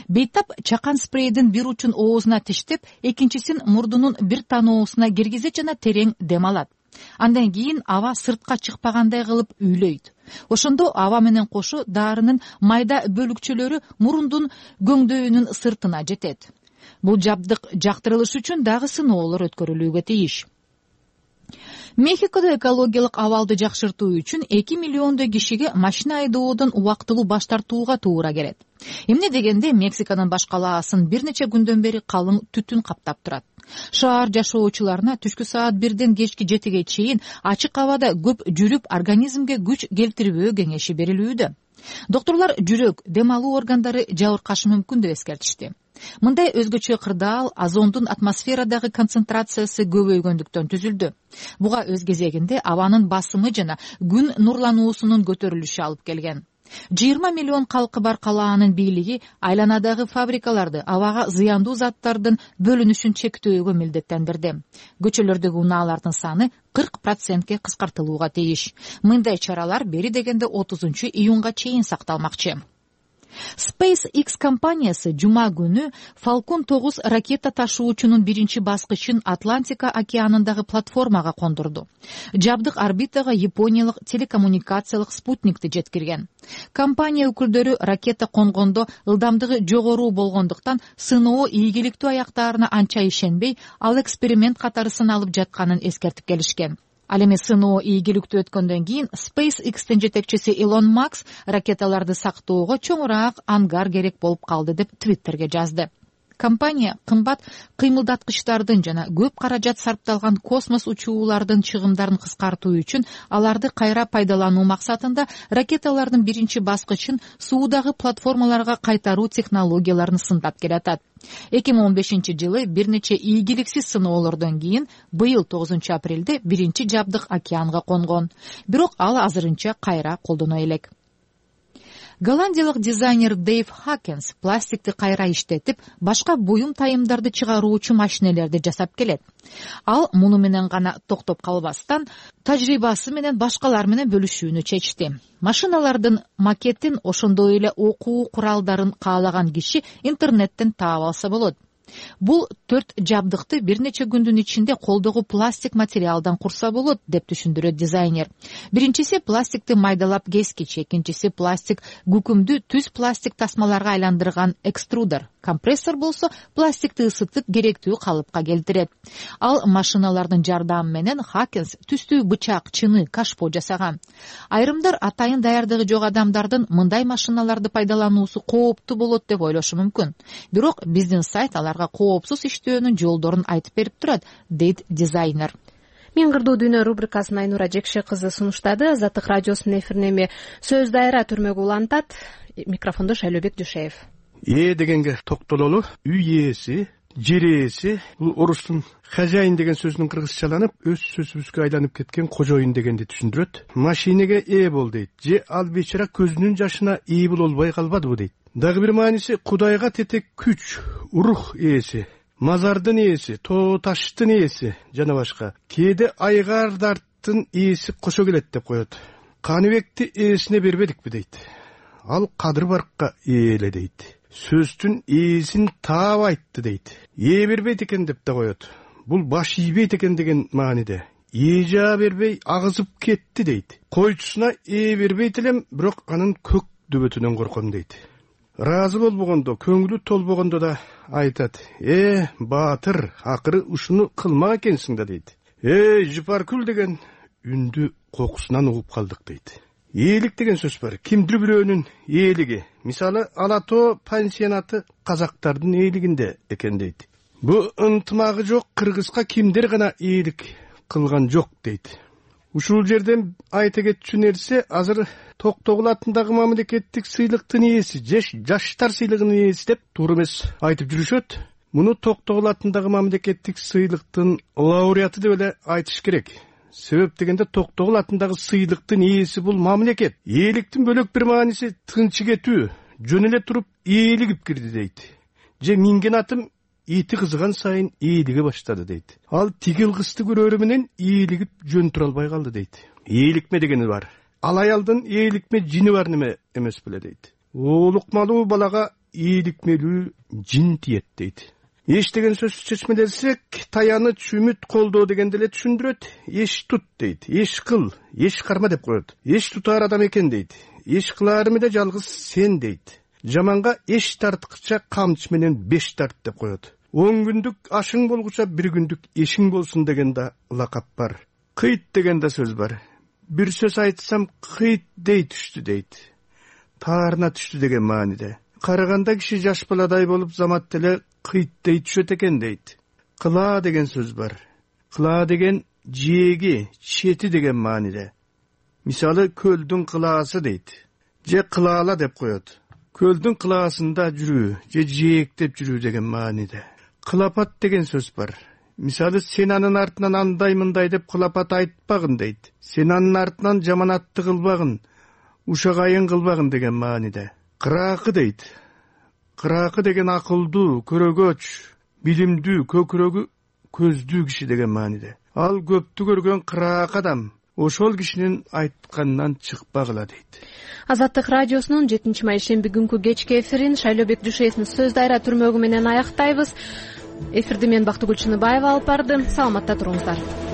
Speaker 10: Бейтап чакан спрейдин бир учун оозуна тиштеп, экинчисин мурдунун бир таноосуна киргизет жана терең дем алат. Андан кийин аба сыртка чыкпагандай кылып үйлөйт. Ошондо аба менен кошо дарынын майда бөлүкчөлөрү мурундун көңдөйүнүн сыртына жетет. Бул жабдык жактырылышы үчүн дагы сыноолор өткөрүлүүгө тийиш. Мехикодо экологиялык абалды жакшыртуу үчүн 2 миллиондой кишиге машина айдоодон убактылуу баш тартууга туура келет. Эмне дегенде Мексиканын баш калаасын бир нече күндөн бери калың түтүн каптап турат. Шаар жашоочуларына түшкү саат 1ден кечки 7ге чейин ачык абада көп жүрүп организмге күч келтирбөө кеңеши берилүүдө. Доктурлар жүрөк, дем алуу органдары жабыркашы мүмкүн деп эскертишти. Мындай өзгөчө кырдаал озондун атмосферадагы концентрациясы көбөйгөндүктөн түзүлдү. Буга өз кезегинде абанын басымы жана күн нурлануусунун көтөрүлүшү алып келген. 20 миллион калкы бар калаанын бийлиги айланадагы фабрикаларды абага зыяндуу заттардын бөлүнүшүн чектөөгө милдеттендирди. Көчөлөрдөгү унаалардын саны 40%ке кыскартылууга тийиш. Мындай чаралар бери дегенде 30-июнга чейин сакталмакчы. SpaceX компаниясы жума күнү Falcon 9 ракета ташуучунун биринчи баскычын Атлантика океанындагы платформага кондурду. Жабдык орбитага япониялык телекоммуникациялык спутникти жеткирген. Компания өкүлдөрү ракета конгондо ылдамдыгы жогору болгондуктан сыноо ийгиликтүү аяктаарына анча ишенбей, ал эксперимент катары сыналып жатканын эскертип келишкен. Ал эми сыноо ийгиликтүү өткөндөн кийин SpaceX'тин жетекчиси Илон Маск ракеталарды сактоого чоңураак ангар керек болуп калды деп Твиттерге жазды. Компания кымбат кыймылдаткычтардын жана көп каражат сарпталган космос учуулардын чыгымдарын кыскартуу үчүн аларды кайра пайдалануу максатында ракеталардын биринчи баскычын суудагы платформаларга кайтаруу технологияларын сындап келатат. 2015-жылы бир нече ийгиликсиз сыноолордон кийин быйыл 9-апрелде биринчи жабдык океанга конгон. Бирок ал азырынча кайра колдоно элек. Голландиялык дизайнер Дейв Хакенс пластикти кайра иштетип, башка буюм тайымдарды чыгаруучу машинелерди жасап келет. Ал муну менен гана токтоп калбастан, тажрыйбасы менен башкалар менен бөлүшүүнү чечти. Машиналардын макетин, ошондой эле окуу куралдарын каалаган киши интернеттен таап алса болот. Бул 4 жабдыкты бир нече күндүн ичинде колдогу пластик материалдан курса болот, деп түшүндүрөт дизайнер. Биринчиси пластикти майдалап кескич, экинчиси пластик күкүмдү түз пластик тасмаларга айландырган экструдер. Компрессор болсо пластикти ысытып керектүү калыпка келтирет. Ал машиналардын жардамы менен Хакенс түстүү бычак, чыны, кашпо жасаган. Айрымдар атайын даярдыгы жок адамдардын мындай машиналарды пайдалануусу кооптуу болот деп ойлошу мүмкүн. Бирок биздин сайт аларга коопсуз иштөөнүн жолдорун айтып берип турат, дейт дизайнер.
Speaker 1: Мен кырдуу дүйнө рубрикасын Айнура Жекше кызы сунуштады. Азаттык радиосунун эфирин эми сөз дайра түрмөгө улантат. Микрофондо Шайлообек Дүйшеев.
Speaker 11: Дегенге токтололу. Үй ээси, жер ээси, бул орустун хозяин деген сөзүнүн кыргызчаланып, өз сөзүбүзгө айланып кеткен кожоюн дегенди түшүндүрөт. Машинеге ээ бол дейт. Же ал бечара көзүнүн жашына ээ болбой калбадыбы дейт. Дагы бир мааниси Кудайга тетек күч, рух ээси, мазардын ээси, тоо таштын ээси жана башка. Кээде айгардарттын ээси кошо келет деп коет. Каныбекти ээсине бербедикпи дейт. Ал Кадыр Баркка ээ эле дейт. Сөздүн ээсин таап айтты дейт. Ээ бербейт экен деп да коет. Бул баш ийбейт экен деген мааниде. Ээ жаа бербей агызып кетти дейт. Койчусуна ээ бербейт элем, бирок анын көк дөбөтүнөн корком дейт. Разы болбогондо, көңүлү толбогондо да айтат. Баатыр, акыры ушуну кылмак экенсиң да дейт. Жыпаркүл деген үндү кокусунан угуп калдык дейт. Ээлик деген сөз бар. Кимдир бирөөнүн ээлиги. Мисалы, Ала Тоо пансионаты казактардын ээлигинде экен дейт. Бу ынтымагы жок кыргызга кимдер гана ээлик кылган жок дейт. Ушул жерден айта кетчү нерсе, азыр Токтогул атындагы мамлекеттик сыйлыктын ээси, жаштар сыйлыгынын ээси деп туура эмес айтып жүрүшөт. Муну Токтогул атындагы мамлекеттик сыйлыктын лауреаты деп эле айтыш керек. Себеп дегенде Токтогул атындагы сыйлыктын ээси бул мамлекет. Ээликтин бөлөк бир мааниси тынчы кетүү, жөн эле туруп ээлигип кирди дейт. Же минген атым ити кызыган сайын ээлиге баштады дейт. Ал тигил кызды көрөрү менен ээлигип жөн тура албай калды дейт. Ээликме дегени бар. Ал аялдын ээликме жини бар неме эмес беле дейт. Оолукмалуу балага ээликмелүү жин тиет дейт. Эш деген сөз чечмелесек, таяныч, үмүт, колдоо дегенди эле түшүндүрөт. Эш тут дейт. Эш кыл, эш карма деп коет. Эш тутаар адам экен дейт. Эш кылаары эле жалгыз сен дейт. жаманга эч тарткыча камчы менен 5 тарт деп коет. 10 күндүк ашың болгуча 1 күндүк эшиң болсун деген да лакап бар. Кыйт деген да сөз бар. Бир сөз айтсам кыйт дей түштү дейт. Таарына түштү деген мааниде. Караганда киши жаш баладай болуп замат деле кыйт дей түшөт экен дейт. Кыла деген сөз бар. Кыла деген жээги, чети деген мааниде. Мисалы көлдүн кылаасы дейт. Же кылаала деп коет. Көлдүн кылаасында жүрүү, же жээктеп жүрүү деген мааниде. Кылапат деген сөз бар. Мисалы сен анын артынан андай мындай деп кылапат айтпагын дейт. Сен анын артынан жаманатты кылбагын, ушагайын кылбагын деген мааниде. Кыраакы дейт. Кыраакы деген акылдуу, көрөгөч, билимдүү, көкүрөгү көздүү киши деген мааниде. Ал көптү көргөн кыраак адам ошол кишинин айтканынан чыкпагыла дейт.
Speaker 1: Азаттык радиосунун 7 шемби күнкү кечки эфирин Шайлообек Дүйшеевдин сөз дайра түрмөгү менен аяктайбыз. Эфирди мен Бактыгүл Чыныбаева алып барды. Саламатта туруңуздар.